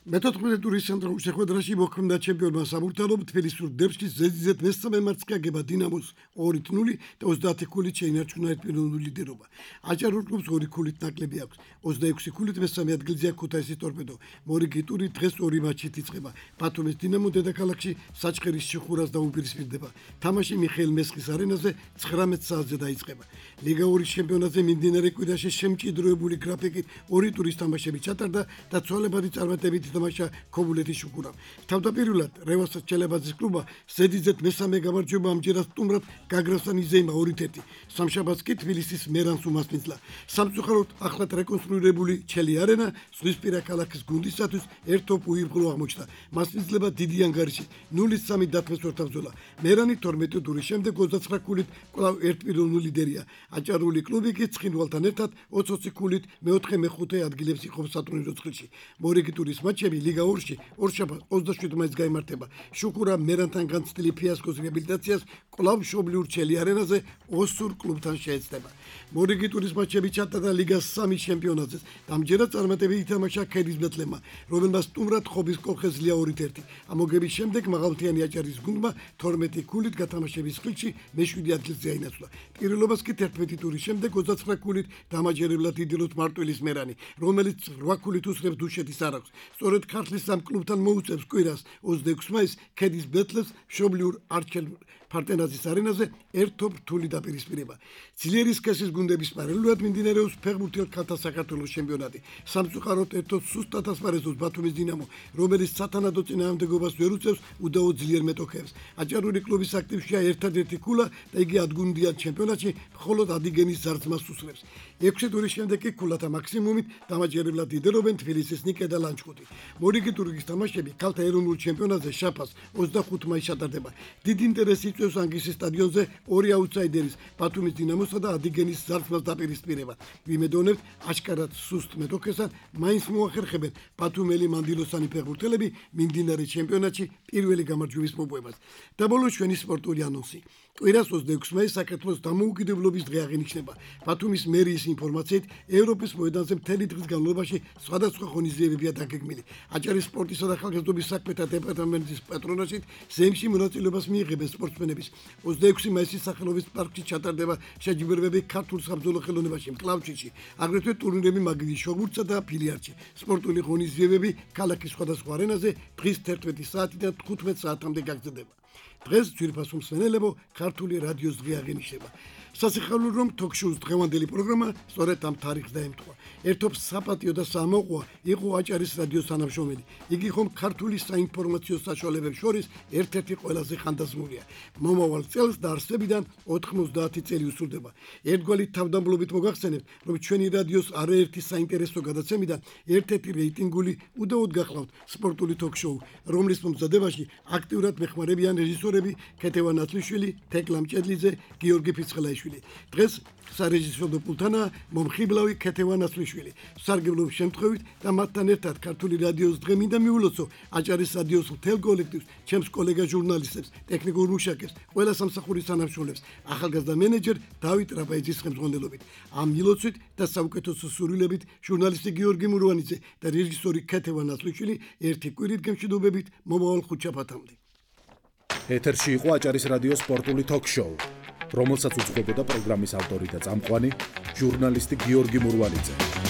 მე-14 ტურის ცენტრალურ შეხვედრაში მოქმედა ჩემპიონმა საბურთალო თბილისურ დერბში ზედიზედ მესამე მარცხი აგება დინამოს 2-0 და 30 ქულით შეინარჩუნა ერთპიროვნული ლიდერობა. აჭარულ კლუბს 2 ქულით ნაკლები აქვს. 26 ქულით მესამე ადგილზეა ქუთაისის ტორპედო. მორიგი ტური დღეს 2 მატჩით იწყება. ბათუმის დინამო დედაქალაქში საჩხერის ჩიხურას დაუპირისპირდება. თამაში მიხეილ მესხის არენაზე 19 საათზე დაიწყება. ლიგა 2-ის ჩემპიონატზე მიმდინარე კვირაში შემჭიდროებული გრაფიკით 2 ტურის თამაშები ჩატარდა და ცვალებადი წარმატებით თამაშა ქობულეთის შუქურამ. თავდაპირველად რევაზ ჩელებაძის კლუბმა ზედიზედ მესამე გამარჯვება ამჯერად სტუმრად გაგრასთან იზეიმა 2-1. სამშაბათს კი თბილისის მერანს უმასპინძლა. სამწუხაროდ ახლად რეკონსტრუირებული ჩელი არენა ზღვისპირა ქალაქის გუნდისათვის ერთობ უიღბლო აღმოჩნდა. მასპინძლება დიდი ანგარიში 0-3 დათმეს ვერტაბრძოლა. მერანი 12 ტურის შემდეგ 29 ქულით კვლავ ერთპიროვნული ლიდერია. აჭარული კლუბი კი ცხინვალთან ერთად 20 ქულით მეოთხე-მეხუთე ადგილებს იყოფს სატურნირო ცხრილში. მორიგი ტურის მატჩები ლიგა 2-ში ორშაბათს 27 მაისს გაიმართება. შუქურა მერანთან განცდილი ფიასკოს რეაბილიტაციას კვლავ მშობლიურ ჩელი არენაზე ოსურ კლუბთან შეეცდება. მორიგი ტურის მატჩები ჩატარდა ლიგას 3 ჩემპიონატზე. ამჯერად წარმატებით ითამაშა ქედის ბეთლემმა, რომელმაც სტუმრად ხობის კოლხეზლია 2-1. ამოგების შემდეგ მაღალმთიანი აჭარის გუნდმა 12 ქულით გათამაშების ხილში მე-7 ადგილზე აინაცვლა. პირველობას კი 11 ტურის შემდეგ 29 ქულით დამაჯერებლად იდილოთ მარტვილის მერანი, რომელიც 8 ქულით უსწრებს დუშეთის არაქვს. სწორედ ქართლის ამ კლუბთან მოუწევს კვირას 26 მაისს ქედის ბეთლემს მშობლიურ არჩელ ფარტენაზის არენაზე ერთობ რთული დაპირისპირება. ძლიერი სქესის გუნდების პარალელურად მიმდინარეობს ფეხბურთელ ქალთა საქართველოს ჩემპიონატი. სამწუხაროდ ერთოდ სუსტად ასპარეზობს ბათუმის დინამო, რომელიც სათანადო წინააღმდეგობას ვერ უწევს უდაოდ ძლიერ მეტოქეებს. აჭარული კლუბის აქტივშია ერთადერთი ქულა და იგი ადგუნდიან ჩემპიონატში მხოლოდ ადიგენის ზარზმას უსწრებს. 6 ტურის შემდეგ კი ქულათა მაქსიმუმით დამაჯერებლად ლიდერობენ თბილისის ნიკე და ლანჩხუთი. მორიგი ტურის თამაშები ქალთა ეროვნულ ჩემპიონატზე შაფას 25 მაისს ჩატარდება. დიდი ინტერესი იწვევს ანგისის სტადიონზე ორი აუთსაიდერის ბათუმის დინამოსა და ადიგენის ზარზმას დაპირისპირება. ვიმედოვნებთ, აშკარად სუსტ მეტოქესთან მაინც მოახერხებენ ბათუმელი მანდილოსანი ფეხბურთელები მიმდინარე ჩემპიონატში პირველი გამარჯვების მოპოვებას. და ბოლოს ჩვენი სპორტული ანონსი. კვირას 26 მაისს საქართველოს დამოუკიდებლობის დღე აღინიშნება. ბათუმის მერიის ინფორმაციით, ევროპის მოედანზე მთელი დღის განმავლობაში სხვადასხვა ღონისძიებებია დაგეგმილი. აჭარის სპორტისა და ხალხმრავლობის საქმეთა დეპარტამენტის პატრონაჟით ზემში მონაწილეობას მიიღებენ სპორტსმენების. 26 მაისის სახელობის პარკში ჩატარდება შეჯიბრებები ქართულ საბრძოლო ხელოვნებაში, მკლავჭიდში, აგრეთვე ტურნირები მაგიდის შოღურთსა და ბილიარდში. სპორტული ღონისძიებები ქალაქის სხვადასხვა არენაზე დღის 11 საათიდან 15 საათამდე გაგრძელდება. დღეს ძვირფას უმსმენელებო ქართული რადიოს დღე აღინიშნება. სასიხარულო რომ თოქ-შოუს დღევანდელი პროგრამა სწორედ ამ თარიღს დაემთხვა. ერთობ საპატიო და სამოყვა იყო აჭარის რადიოს თანამშრომელი. იგი ხომ ქართული საინფორმაციო საშუალებებს შორის ერთ-ერთი ყველაზე ხანდაზმულია. მომავალ წელს დაარსებიდან 90 წელი უსრულდება. ერთგვარი თავდამბლობით მოგახსენებთ, რომ ჩვენი რადიოს არაერთი საინტერესო გადაცემიდან ერთ-ერთი რეიტინგული უდაოდ გახლავთ სპორტული თოქ-შოუ, რომლის მომზადებაში აქტიურად მეხმარებიან რეჟისორები ქეთევან ათლიშვილი, თეკლა მჭედლიძე, გიორგი ფიცხელაიშვილი. დღეს სარეჟისორო პულტანაა მომხიბლავი ქეთევან ათლიშვილი. სარგებლობის შემთხვევით და მათთან ერთად ქართული რადიოს დღე მინდა მიულოცო აჭარის რადიოს მთელ კოლექტივს, ჩემს კოლეგა ჟურნალისტებს, ტექნიკურ მუშაკებს, ყველა სამსახურის თანამშრომლებს, ახალგაზრდა მენეჯერ დავით რაპაიძის ხელმძღვანელობით. ამ მილოცვით და საუკეთესო სურვილებით ჟურნალისტი გიორგი მურვანიძე და რეჟისორი ქეთევან ათლიშვილი ერთი კვირით გემშვიდობებით მომავალ ხუთშაბათამდე. ეთერში იყო აჭარის რადიოს სპორტული თოქ-შოუ, რომელსაც უძღვებოდა პროგრამის ავტორი და წამყვანი ჟურნალისტი გიორგი მურვანიძე.